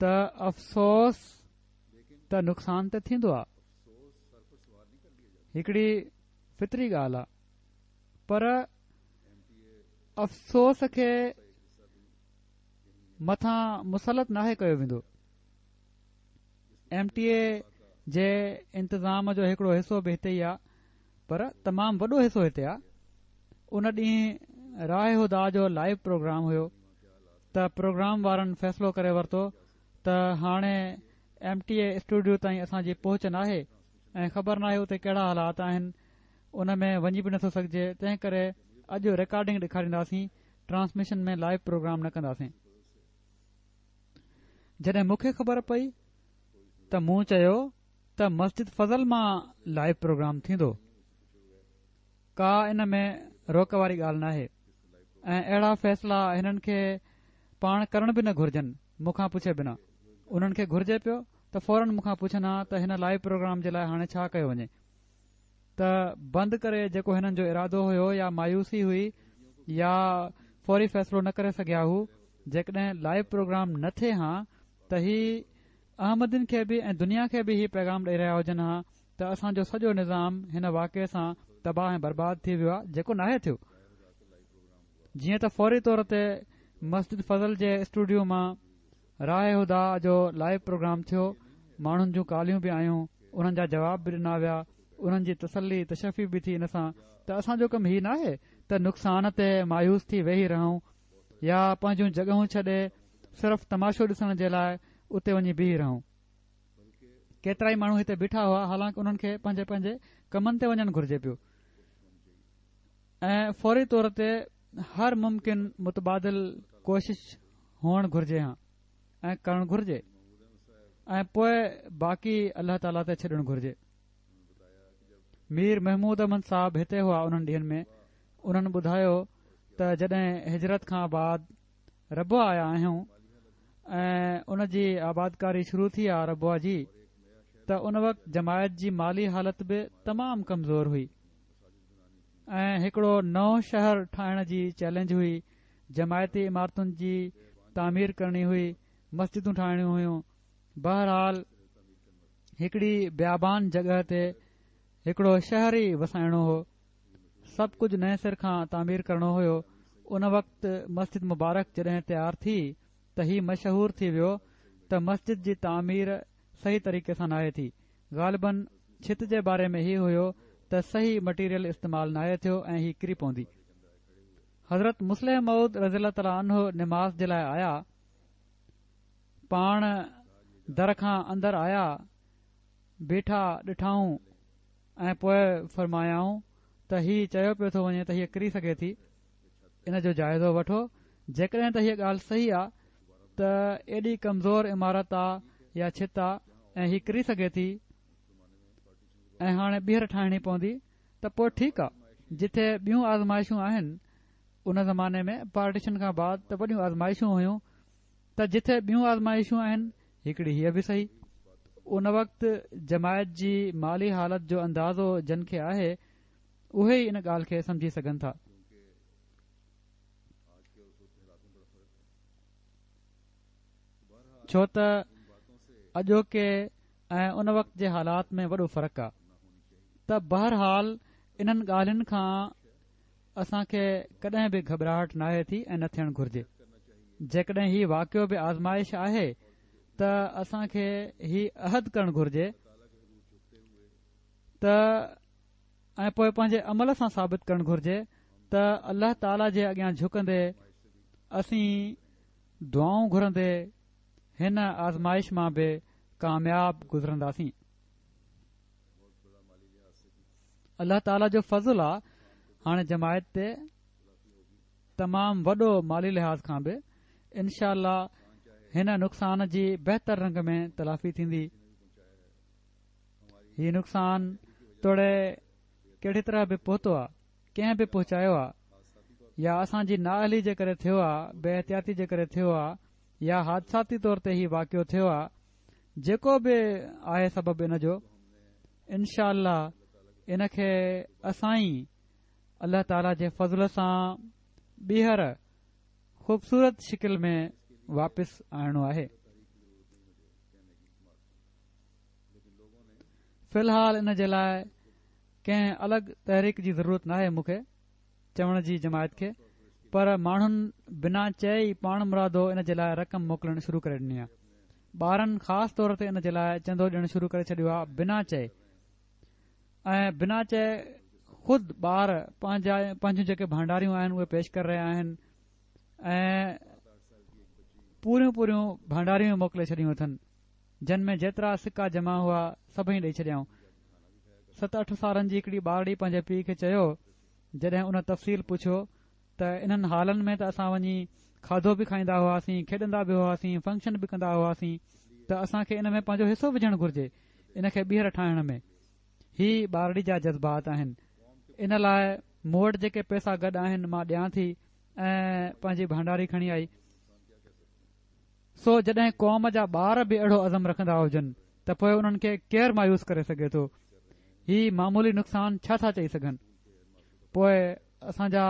ته افسوس ته نقصان تي ٿيندو آ. هڪڙي فطري ڳالهه آ پر افسوس کي مٿان مسلط ناهي ڪيو ويندو. ايم ٽي اي جي انتظام جو هڪڙو حصو به هتي ئي آ پر تمام وڏو حصو هتي آ. ان ڏينهن راهه هديٰ جو لائيو پروگرام هيو ته پروگرام وارن فيصلو ڪري ورتو ته هاڻي ايم ٽي اي اسٽوڊيو تائين اسان جي پهچ ناهي ۽ خبر ناهي اتي ڪهڙا حالات آهن ان ۾ وڃي به نٿو سگهجي تنهن ڪري اڄ رڪارڊنگ ڏيکارينداسين ٽرانسميشن ۾ لائيو پروگرام نه ڪنداسين. جڏهن مون کي خبر پئي ته مون چيو ته مسجد فضل مان لائيو پروگرام ٿيندو ڪا ان ۾ روڪ واري ڳالهه ناهي ۽ اهڙا فيصلا هنن کي پاڻ ڪرڻ به نه گهرجن مون کان پڇي بنا انهن کي گهرجي پيو ته فورن مون کان پڇن ها ته هن لائيو پروگرام جي لاء هاڻي ڇا ڪيو وڃي ته بند ڪري جيڪو هنن جو ارادو هيو يا مايوسي هئي يا فوري فيصلو نه ڪري سگهيا هو جيڪڏهن لائيو پروگرام نه ٿئي هان ته هي احمدين کي به ۽ دنيا کي به هي پيغام ڏئي رهيا هجن ها ته اسان جو سڄو نظام هن واقعي سان تباهه ۽ برباد ٿي ويو آهي جيڪو ناهي ٿيو جيئن ته فوري طور تي مسجد فضل جي اسٽوڊيو مان راهه هديٰ جو لائيو پروگرام ٿيو، ماڻهن جون ڪاليون به آيون، انهن جا جواب به ڏنا ويا، انهن جي تسلي تشفي به ٿي ان سان ته اسان جو ڪم هي ناهي ته نقصان تي مايوس ٿي ويهي رهون يا پنهنجون جڳهون ڇڏي صرف تماشو ڏسڻ جي لاء اتي وڃي بيهي رهون. ڪيترائي ماڻهو هتي بيٺا هئا حالانڪ انهن کي پنهنجي پنهنجي ڪمن تي وڃڻ گهرجي پيو ۽ فوري طور تي هر ممڪن متبادل ڪوشش هئڻ گهرجي ها ۽ ڪرڻ گهرجي ۽ پوء باقي الله تعاليٰ تي ڇڏڻ گهرجي. مير محمود احمد صاحب هتي هئا انهن ڏينهن ۾ انهن ٻڌايو ته جڏهن هجرت کان بعد ربوه آيا آهيون ۽ ان جي آبادڪاري شروع ٿي آ ربوه جي ته ان وقت جماعت جي مالي حالت به تمام ڪمزور هئي ۽ هڪڙو نئون شهر ٺاهڻ جي چئلينج هئي جماعتي عمارتن جي تعمير ڪرڻي هئي، مسجدون ٺاهڻيون هيون. بهرحال هڪڙي بيابان جڳهه تي هڪڙو شهر ئي وسائڻو هو. سڀ ڪجهه نئين سر کان تعمير ڪرڻو هيو. ان وقت مسجد مبارڪ جڏهن تيار ٿي ته هي مشهور ٿي ويو ته مسجد جي تعمير صحيح طريقي سان ناهي ٿي. غالباً ڇت جي باري ۾ هي هيو ته صحيح مٽيريل استعمال ناهي ٿيو ۽ هي ڪري پوندي. حضرت مصلح موعود رضي الله تعالٰي عنه نماز جي لاء آيا، پاڻ در کان اندر آيا، بيٺا ڏٺائون ۽ پوء فرمايائون ته هي چيو پيو ٿو وڃي ته هيء ڪري سگهي ٿي، ان جو جائزو وٺو، جيڪڏهن ته هيء ڳالهه صحيح آ ته ايڏي ڪمزور عمارت آ يا ڇت آ ۽ هي ڪري سگهي ٿي ۽ هاڻي ٻيهر ٺاهڻي پوندي ته پوء ٺيڪ آ، جتي ٻيون آزمائشون آهن، ان زماني ۾ پارٽيشن کان بعد ته وڏيون آزمائشون هيون، ته جتي ٻيون آزمائشون آهن، هڪڙي هيء به سهي. ان وقت جماعت جي مالي حالت جو اندازو جن کي آهي، اهي ئي ان ڳالهه کي سمجهي سگهن ٿا. ڇو ته اڄوڪي ۽ ان وقت جي حالات ۾ وڏو فرق آ ته بهرحال انهن ڳالهين کان اسان کي ڪڏهن به گهٻراهٽ ناهي ٿي ۽ نه ٿيڻ گهرجي جيڪڏهن هي واقعو به آزمائش آهي ته اسان کي هي عهد ڪرڻ گهرجي ته ۽ پوء پنهنجي عمل سان ثابت ڪرڻ گهرجي ته الله تعالي جي اڳيان جهڪندي اسين دعائون گهرندي هن آزمائش مان به ڪامياب گذرنداسين. الله تعالي جو فضل آ هاڻي جماعت تي تمام وڏو مالي لحاظ کان به انشاء الله هن نقصان جي بهتر رنگ ۾ تلافي ٿيندي. هي نقصان توڙي ڪهڙي طرح به پهتو آ. ڪنهن به پهچايو آ يا اسان جي نااهلي جي ڪري ٿيو آ، بي احتياطي جي ڪري ٿيو آ يا حادثاتي طور تي هي واقعو ٿيو آ، جيڪو به آهي سبب ان جو، انشاء الله ان کي اسان ئي الله تعالي جي فضل سان ٻيهر خوبصورت شڪل ۾ واپس آڻڻو آهي. في الحال ان جي لاء ڪنهن الڳ تحريڪ جي ضرورت ناهي مون کي چوڻ جي جماعت کي پر ماڻهن بنا چئي ئي پاڻ مرادو ان جي لاء رقم موڪلڻ شروع ڪري ڏني آهي ٻارن خاص طور تي ان جي لاء چندو ڏيڻ شروع ڪري ڇڏيو آهي بنا چئي ۽ بنا چئي خود ٻار پنهنجا پنهنجون جيڪي ڀانڊاريون آهن اهي پيش ڪري رهيا آهن ۽ پوريون پوريون ڀانڊاريون موڪلي ڇڏيون اٿن جن ۾ جيترا سڪا جمع هئا سڀئي ڏئي ڇڏيائون. ست اٺ سالن جي هڪڙي ٻارڙي پنهنجي پيء کي چيو، جڏهن ان تفصيل پڇيو ته انهن هالن ۾ ته اسان وڃي کاڌو به کائيندا هئاسين، کيڏندا به هئاسين، فنڪشن به ڪندا هئاسين ته اسان کي ان ۾ پنهنجو حصو وجهڻ گهرجي، ان کي ٻيهر ٺاهڻ ۾. هي ٻارڙي جا جذبات آهن. ان لاء مون وٽ جيڪي پئسا گڏ آهن مان ڏيان ٿي ۽ پنهنجي ڀانڊاري کڻي آئي. سو جڏهن قوم جا ٻار به اهڙو عزم رکندا هجن ته پوء انهن کي ڪير مايوس ڪري سگهي ٿو؟ هي معمولي نقصان ڇا ٿا چئي سگهن؟ پوء اسان جا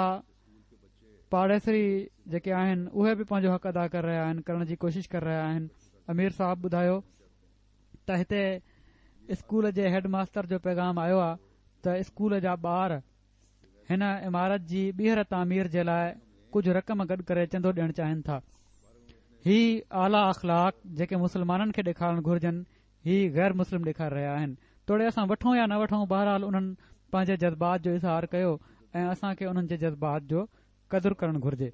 پاڙيسري جيڪي آهن اهي به پنهنجو حق ادا ڪري رهيا آهن، ڪرڻ جي ڪوشش ڪري رهيا آهن. امير صاحب ٻڌايو ته هتي اسڪول جي هيڊ ماستر جو پيغام آيو آهي ته اسڪول جا ٻار هن عمارت جي ٻيهر تعمير جي لاء ڪجهه رقم گڏ ڪري چندو ڏيڻ چاهين ٿا. هي اعليٰ اخلاق جيڪي مسلمانن کي ڏيکارڻ گهرجن هي غير مسلم ڏيکاري رهيا آهن. توڙي اسان وٺون يا نه وٺون بهرحال انهن پنهنجي جذبات جو اظهار ڪيو ۽ اسان کي انهن جي جذبات جو قدر ڪرڻ گهرجي.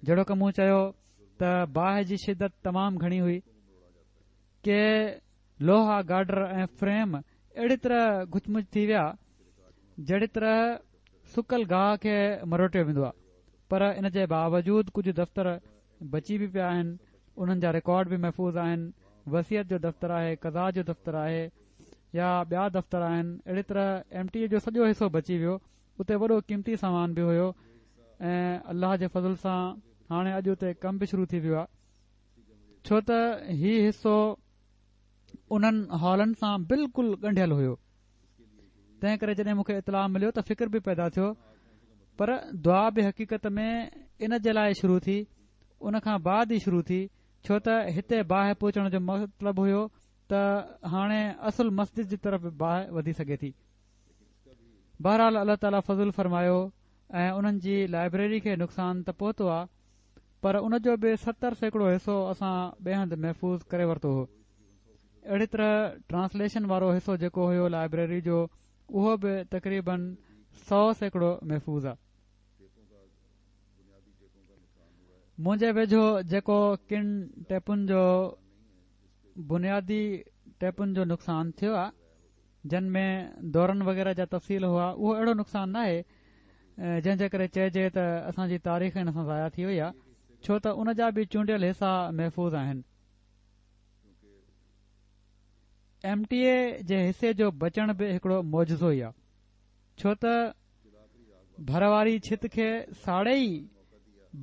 جهڙوڪ مون چيو ته باهه جي شدت تمام گهڻي هئي. ڪي لوها گارڊر ۽ فريم اهڙي طرح گهچ مچ ٿي ويا جهڙي طرح سڪل گاهه کي مروٽيو ويندو آهي پر ان جي باوجود ڪجهه دفتر بچي به پيا آهن انهن جا رڪارڊ به محفوظ آهن وصيت جو دفتر آهي قضا جو دفتر آهي يا ٻيا دفتر آهن اهڙي طرح ايم ٽي اي جو سڄو حصو بچي ويو اتي وڏو قيمتي سامان به هيو ۽ الله جي فضل سان هاڻي اڄ اتي ڪم به شروع ٿي ويو آهي ڇو ته هي حصو انهن هالن سان بلڪل ڳنڍيل هيو تنهن ڪري جڏهن مون کي اطلاع مليو ته فڪر به پيدا ٿيو پر دعا به حقيقت ۾ ان جي لاء شروع ٿي ان کان بعد ئي شروع ٿي ڇو ته هتي باهه پهچڻ جو مطلب هيو ته هاڻي اصل مسجد جي طرف به باهه وڌي سگهي ٿي بهرحال الله تعاليٰ فضل فرمايو ۽ انهن جي لائبريري کي نقصان ته پهتو آ پر ان جو به 70% حصو اسان ٻئي هنڌ محفوظ ڪري ورتو هو. اهڙي طرح ٽرانسليشن وارو حصو جيڪو هيو لائبريري جو اهو به تقريبن 100% محفوظ آ. منهنجي ويجهو جيڪو ڪن ٽيپن جو بنيادي ٽيپن جو نقصان ٿيو آ. جن ۾ دورن وغيره جا تفصيل هئا اهو اهڙو نقصان ناهي جنهن جي ڪري چئجي ته اسان جي تاريخ ان سان ضايع ٿي وئي آهي ڇو ته ان جا به چونڊيل حصا محفوظ آهن. ايم ٽي اي جي حصي جو بچڻ به هڪڙو معجزو ئي آهي ڇو ته ڀر واري ڇت کي ساڙي ئي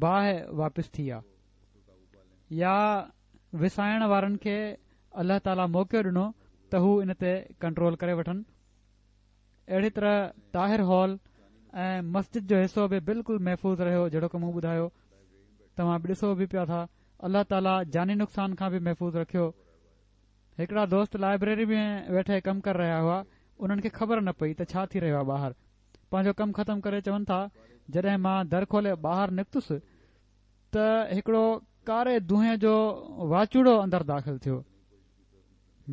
باهه واپس ٿي آ يا وسائڻ وارن کي الله تعاليٰ موقعو ڏنو ته هو ان تي ڪنٽرول ڪري وٺن. اهڙي طرح طاهر هال ۽ مسجد جو حصو به بلڪل محفوظ رهيو جهڙوڪ مون ٻڌايو توهان به ڏسو به پيا ٿا الله تعاليٰ جاني نقصان کان به محفوظ رکيو. هڪڙا دوست لائبريري ۾ ويٺي ڪم ڪري رهيا هئا انهن کي خبر نه پئي ته ڇا ٿي رهيو آهي ٻاهر پنهنجو ڪم ختم ڪري چون ٿا جڏهن مان در کولي ٻاهر نڪتس ته هڪڙو ڪاري دونهين جو واچوڙو اندر داخل ٿيو.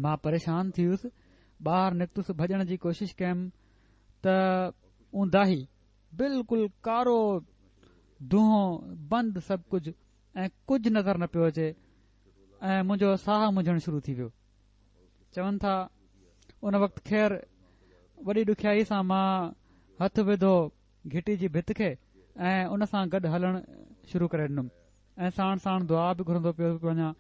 مان پريشان ٿي ويس. ٻاهر نڪتس ڀڄڻ جي ڪوشش ڪيم ته اونداهي، بلڪل ڪارو دونهون، بند سڀ ڪجهه ۽ ڪجهه نظر نه پيو اچي ۽ منهنجو ساهه منجهڻ شروع ٿي ويو. چون ٿا ان وقت خير وڏي ڏکيائي سان مان هٿ وڌو گهٽي جي ڀت کي ۽ ان سان گڏ هلڻ شروع ڪري ڏنم ۽ ساڻ ساڻ دعا به گهرندو پيو وڃان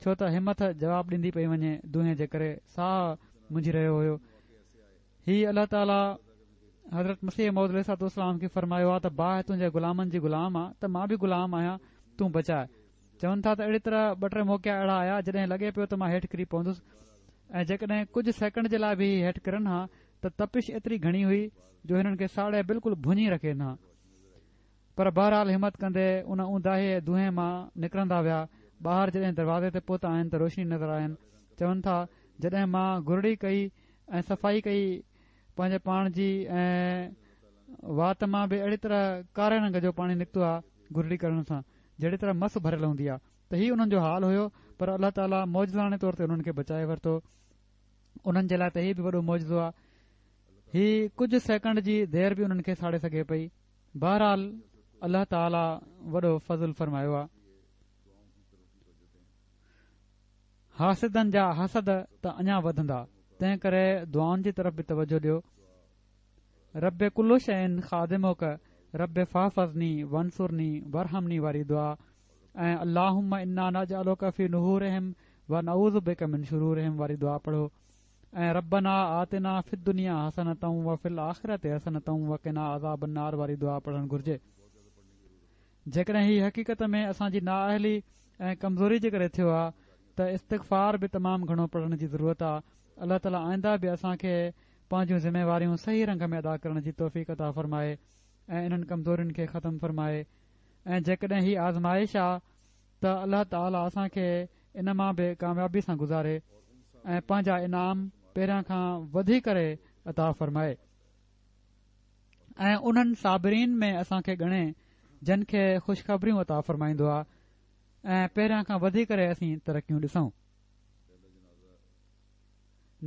ڇو ته همٿ جواب ڏيندي پئي وڃي دونهين جي ڪري ساهه منجهي رهيو هيو هي الله تعالي حضرت مسيح موعود عليه الصلوة والسلام کي فرمايو آ ته باهه تنهنجي غلامن جي غلام آ ته مان به غلام آهيان تون بچاء. چون ٿا ته اهڙي طرح ٻه ٽي موقعا اهڙا آيا جڏهن لڳي پيو ته مان هيٺ ڪري پوندس ۽ جيڪڏهن ڪجهه سيڪنڊ جي لاء به هي هيٺ ڪرن ها ته تپش ايتري گهڻي هئي جو هنن کي ساڙي بلڪل ڀڃي رکين ها. پر بهرحال همت ڪندي ان اونداهي دونهين مان نڪرندا ويا. ٻاهر جڏهن دروازي تي پهتا آهن ته روشني نظر آين. چون ٿا جڏهن مان گرڙي ڪئي ۽ صفائي ڪئي پنهنجي پاڻ جي ۽ وات مان به اهڙي طرح ڪاري رنگ جو پاڻي نڪتو آ گرڙي ڪرڻ سان جهڙي طرح مس ڀريل هوندي آ ته هي انهن جو حال هيو پر الله تعالي معجزاڻي طور تي انهن کي بچائي ورتو انهن جي لاء ته هي به وڏو معجزو آ هي ڪجهه سيڪنڊ جي دير به انهن کي ساڙي سگهي پئي بهرحال الله تعالي وڏو فضل فرمايو آ. حاسدن جا حسد ته اڃا وڌندا، تنهن ڪري دعائن جي طرف به توجه ڏيو. رب ڪل شيء خادمک رب فاحفظني وانصرني وارحمني واري دعا ۽ اللهم انا نجعلک في نحورهم ونعوذ بک من شرورهم واري دعا پڙهو ۽ ربنا آتنا في الدنيا حسنة وفي الآخرة حسنة وقنا عذاب النار واري دعا پڙهڻ گهرجي. جيڪڏهن هي حقيقت ۾ اسان جي نااهلي ۽ ڪمزوري جي ڪري ٿيو آ ته استغفار به تمام گهڻو پڙهڻ جي ضرورت آ. الله تعالي آئنده به اسان کي پنهنجون ذميواريون صحيح رنگ ۾ ادا ڪرڻ جي توفيق عطا فرمائي ۽ انهن ڪمزورين کي ختم فرمائي ۽ جيڪڏهن هي آزمائش آ ته الله تعالي اسان کي ان مان به ڪاميابي سان گذاري ۽ پنهنجا انعام پهريان کان وڌي ڪري عطا فرمائي. ۽ انهن صابرين ۾ اسان کي ڳڻي جن کي خوشخبريون عطا فرمائيندو آ ۽ پهريان کان وڌي ڪري اسين ترقيون ڏسون.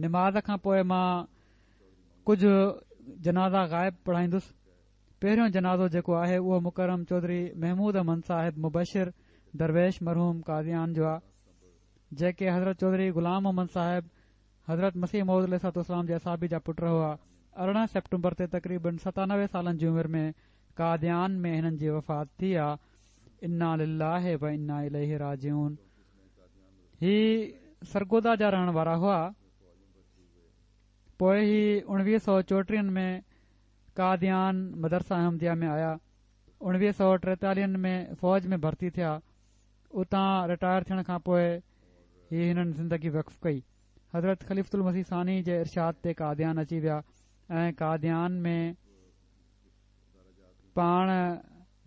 نماز کان پوء مان ڪجهه جنازا غائب پڙهائيندس. پهريون جنازو جيڪو آهي اهو مڪرم چوڌري محمود احمد صاحب مبشر درويش مرحوم قاديان جو آ جيڪي حضرت چوڌري غلام محمد صاحب حضرت مسيح موعود عليه الصلوة والسلام جي اصحابي جا پٽ هئا. 18 سيپٽمبر تي تقريباً 97 سالن جي عمر ۾ قاديان ۾ هنن جي وفات ٿي آ. انا لله و انا اليه راجعون. هي سرگوڌا جا رهڻ وارا هئا. پوء هي 1934 ۾ قاديان مدرسه احمديه ۾ آيا. 1943 ۾ فوج ۾ ڀرتي ٿيا. اتان رٽائر ٿيڻ کان پوء هي هنن زندگي وقف ڪئي. حضرت خليفة المسيح ثاني جي ارشاد تي قاديان اچي ويا ۽ قاديان ۾ پاڻ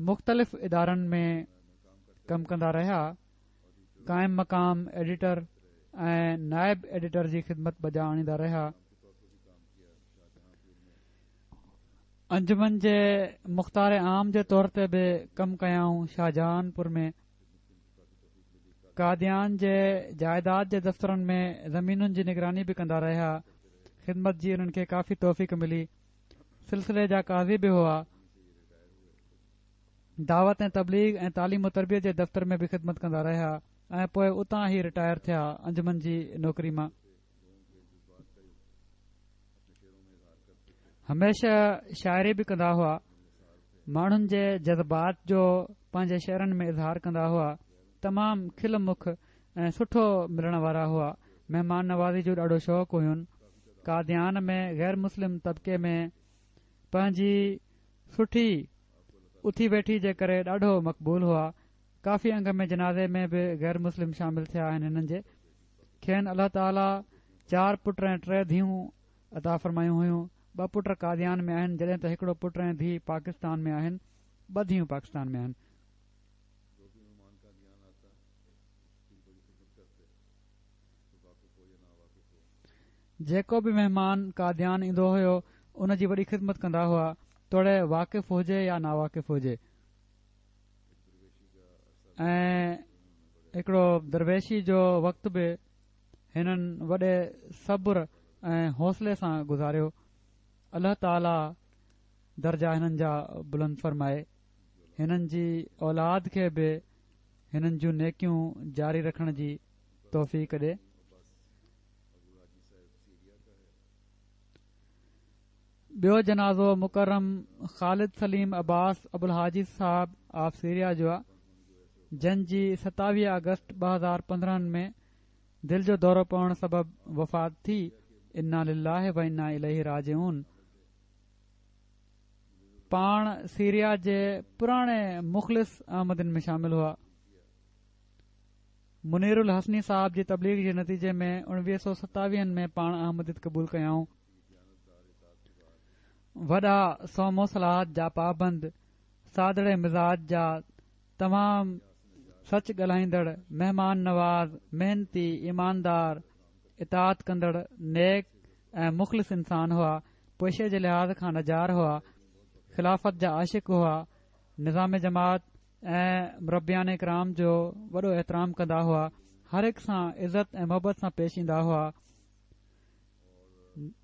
مختلف ادارن ۾ ڪم ڪندا رهيا. قائم مقام ايڊيٽر ۽ نائب ايڊيٽر جي خدمت بجا آڻيندا رهيا. انجمن جي مختار عام جي طور تي به ڪم ڪيائون شاهجهان پور ۾. قاديان جي جائيداد جي دفترن ۾ زمينن جي نگراني به ڪندا رهيا. خدمت جي انهن کي ڪافي توفيق ملي. سلسلي جا قاضي به هئا. دعوت ۽ تبليغ ۽ تعليم و تربيت جي دفتر ۾ به خدمت ڪندا رهيا ۽ پوء اتان ئي رٽائر ٿيا انجمن جي نوڪري مان. هميشه شاعري به ڪندا هئا. ماڻهن جي جذبات جو پنهنجي شعرن ۾ اظهار ڪندا هئا. تمام کل مک ۽ سٺو ملڻ وارا هئا. مهمان نوازي جو ڏاڍو شوق هين. قاديان ۾ غير مسلم طبقي ۾ پنهنجي سٺي اٿي ويٺي جي ڪري ڏاڍو مقبول هئا. ڪافي انگ ۾ جنازي ۾ به غير مسلم شامل ٿيا آهن هنن جي. کين الله تعاليٰ چار پٽ ۽ ٽي ڌيئون عطا فرمايون هيون. ٻه پٽ قاديان ۾ آهن جڏهن ته هڪڙو پٽ ۽ ڌيء پاڪستان ۾ آهن. ٻه ڌيئون پاڪستان ۾ آهن. جيڪو به مهمان قاديان ايندو هيو ان جي وڏي خدمت ڪندا هئا توڙي واقف هجي يا ناواقف هجي. ۽ هڪڙو درويشي جو وقت به هنن وڏي صبر ۽ حوصلي سان گذاريو. الله تعالي درجا هنن جا بلند فرمائي. هنن جي اولاد کي به هنن جون نيڪيون جاري رکڻ جي توفيق ڏي. ٻيو جنازو مڪرم خالد سليم عباس ابوالحاجي صاحب آف سيريا جو آ جن جي 27 آگسٽ 2015 ۾ دل جو دورو پوڻ سبب وفات ٿي انا لله و انا اليه راجعون. پاڻ سيريا جي پراڻي مخلص احمدين ۾ شامل هئا. منير الحصني صاحب جي تبليغ جي نتيجي ۾ اڻويهه سؤ ستاويهن ۾ پاڻ احمديت قبول ڪيائون. وڏا صوم و صلوة جا پابند، سادڙي مزاج جا، تمام سچ ڳالهائيندڙ، مهمان نواز، محنتي، ايماندار، اطاعت ڪندڙ، نيڪ ۽ مخلص انسان هئا. پيشي جي لحاظ کان نجار هئا، خلافت جا عاشق هئا، نظام جماعت ۽ مربيان ڪرام جو وڏو احترام ڪندا هئا، هر هڪ سان عزت ۽ محبت سان پيش ايندا هئا،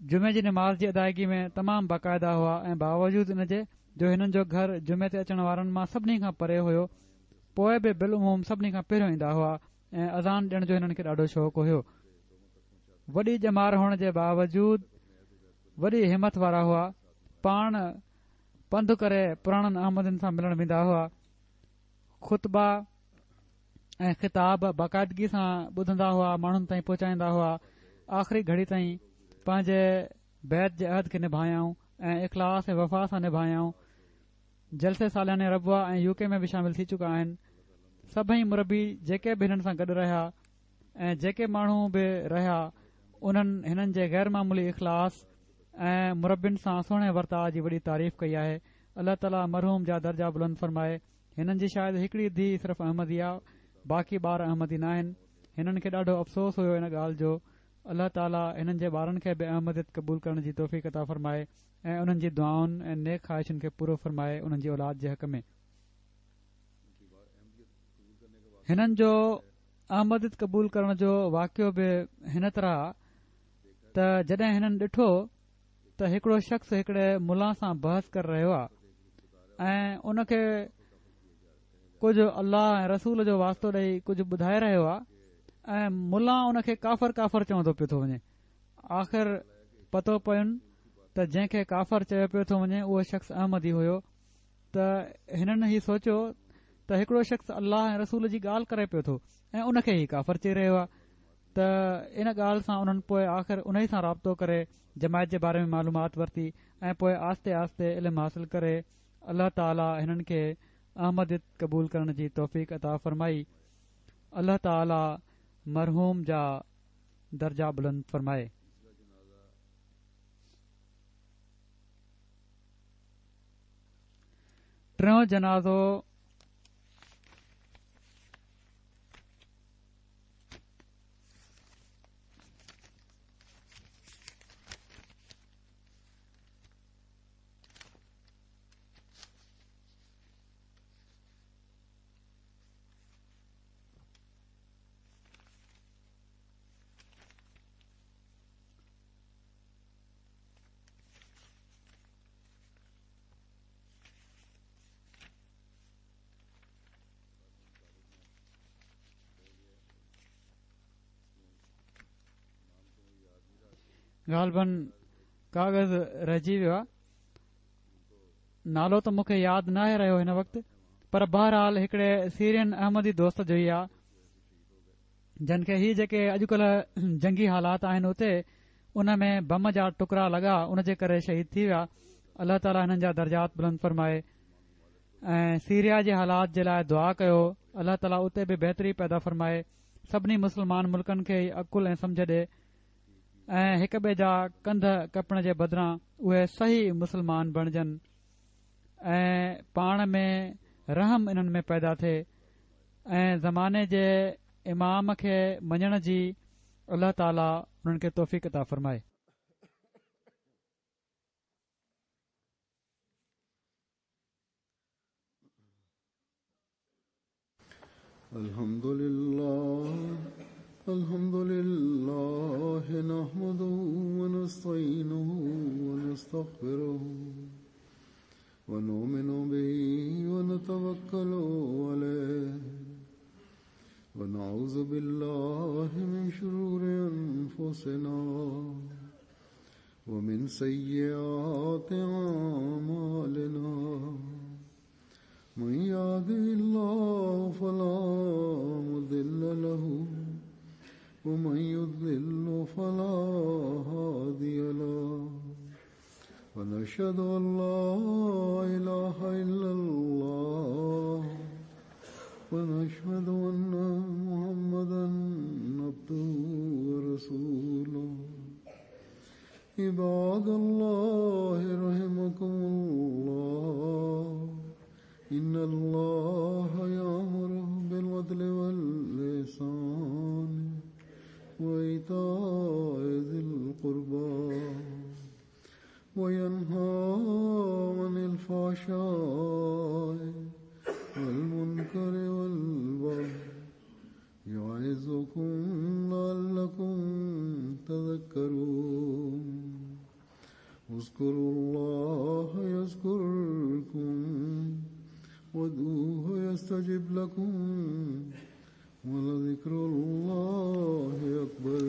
جمعي جي نماز جي ادائگي ۾ تمام باقاعده هئا ۽ باوجود ان جي جو هنن جو گهر جمعي تي اچڻ وارن مان سڀني کان پري هيو پوء به بالعموم سڀني کان پهريون ايندا هئا ۽ اذان ڏيڻ جو هنن کي ڏاڍو شوق هيو. وڏي ڄمار هئڻ جي باوجود وڏي همٿ وارا هئا. پاڻ پنڌ ڪري پراڻن احمدين سان ملڻ ويندا هئا. خطبا ۽ خطاب باقاعدگي سان ٻڌندا هئا، ماڻهن تائين پهچائيندا هئا. آخري گهڙي تائين پنهنجي بيعت جي عهد کي نڀايائون ۽ اخلاص ۽ وفا سان نڀايائون. جلسي سالياني ربوه ۽ يو ڪي ۾ به شامل ٿي چڪا آهن. سڀئي مربي جيڪي به هنن سان گڏ رهيا ۽ جيڪي ماڻهو به رهيا انهن هنن جي غير معمولي اخلاص ۽ مربين سان سهڻي ورتاء جي وڏي تعريف ڪئي آهي. الله تعالي مرحوم جا درجا بلند فرمائي. هنن جي شايد هڪڙي ڌيء صرف احمدي آ باقي ٻار احمدي ناهن. هنن کي ڏاڍو افسوس هيو ان ڳالهه جو. الله تعالي هنن جي ٻارن کي به احمديت قبول ڪرڻ جي توفيق عطا فرمائي. ۽ انهن جي دعائن ۽ نيڪ خواهشن کي پورو فرمائي انهن جي اولاد جي حق ۾. هنن جو احمديت قبول ڪرڻ جو واقعو به هن طرح آ ته جڏهن هنن ڏٺو ته هڪڙو شخص هڪڙي ملان سان بحث ڪري رهيو آ ۽ ان کي ڪجهه الله ۽ رسول جو واسطو ڏئي ڪجهه ٻڌائي رهيو آ ۽ ملان ان کي ڪافر ڪافر چوندو پيو ٿو وڃي آخر پتو پين ته جنهن کي ڪافر چيو پيو ٿو وڃي اهو شخص احمدي هيو ته هنن هي سوچيو ته هڪڙو شخص الله ۽ رسول جي ڳالهه ڪري پيو ٿو ۽ ان کي هي ڪافر چئي رهيو آهي ته ان ڳالهه سان انهن پوء آخر انهي سان رابطو ڪري جماعت جي باري ۾ معلومات ورتي ۽ پوء آهستي آهستي علم حاصل ڪري الله تعالي هنن کي احمديت قبول ڪرڻ جي توفيق عطا فرمائي. الله تعالي مرحوم جا درجا بلند فرمائي. ٽيون جنازو غالباً ڪاغذ رهجي ويو آهي. نالو ته مون کي ياد ناهي رهيو هن وقت پر بهرحال هڪڙي سيرين احمدي دوست جو ئي آهي. جن کي هي جيڪي اڄڪلهه جنگي حالات آهن اتي ان ۾ بم جا ٽڪرا لڳا ان جي ڪري شهيد ٿي ويا الله تعالي هنن جا درجات بلند فرمائي ۽ سيريا جي حالات جي لاء دعا ڪيو الله تعالي اتي به بهتري پيدا فرمائي سڀني مسلمان ملڪن کي عقل ۽ سمجه ڏي ۽ هڪ ٻئي جا ڪنڌ ڪپڻ جي بدران اهي صحيح مسلمان بڻجن ۽ پاڻ ۾ رحم انهن ۾ پيدا ٿئي ۽ زماني جي امام کي مڃڻ جي الله تعالي انهن کي توفيق عطا فرمائي. الحمد لله الحمد لله نحمده ونستعينه ونستغفره ونؤمن به ونتوكل عليه ونعوذ بالله من شرور أنفسنا ومن سيئات أعمالنا من يهده الله فلا مضل له ومن يضلل فلا هادي له ونشهد أن لا إله إلا الله ونشهد أن محمدا عبده ورسوله. عباد الله رحمكم الله، إن الله يأمر بالعدل والإحسان وإيتاء ذي القربى وينهى عن الفحشاء والمنكر والبغي يعظكم لعلكم تذكرون. اذكروا الله يذكركم وادعوه يستجب لكم ولذكر الله أكبر.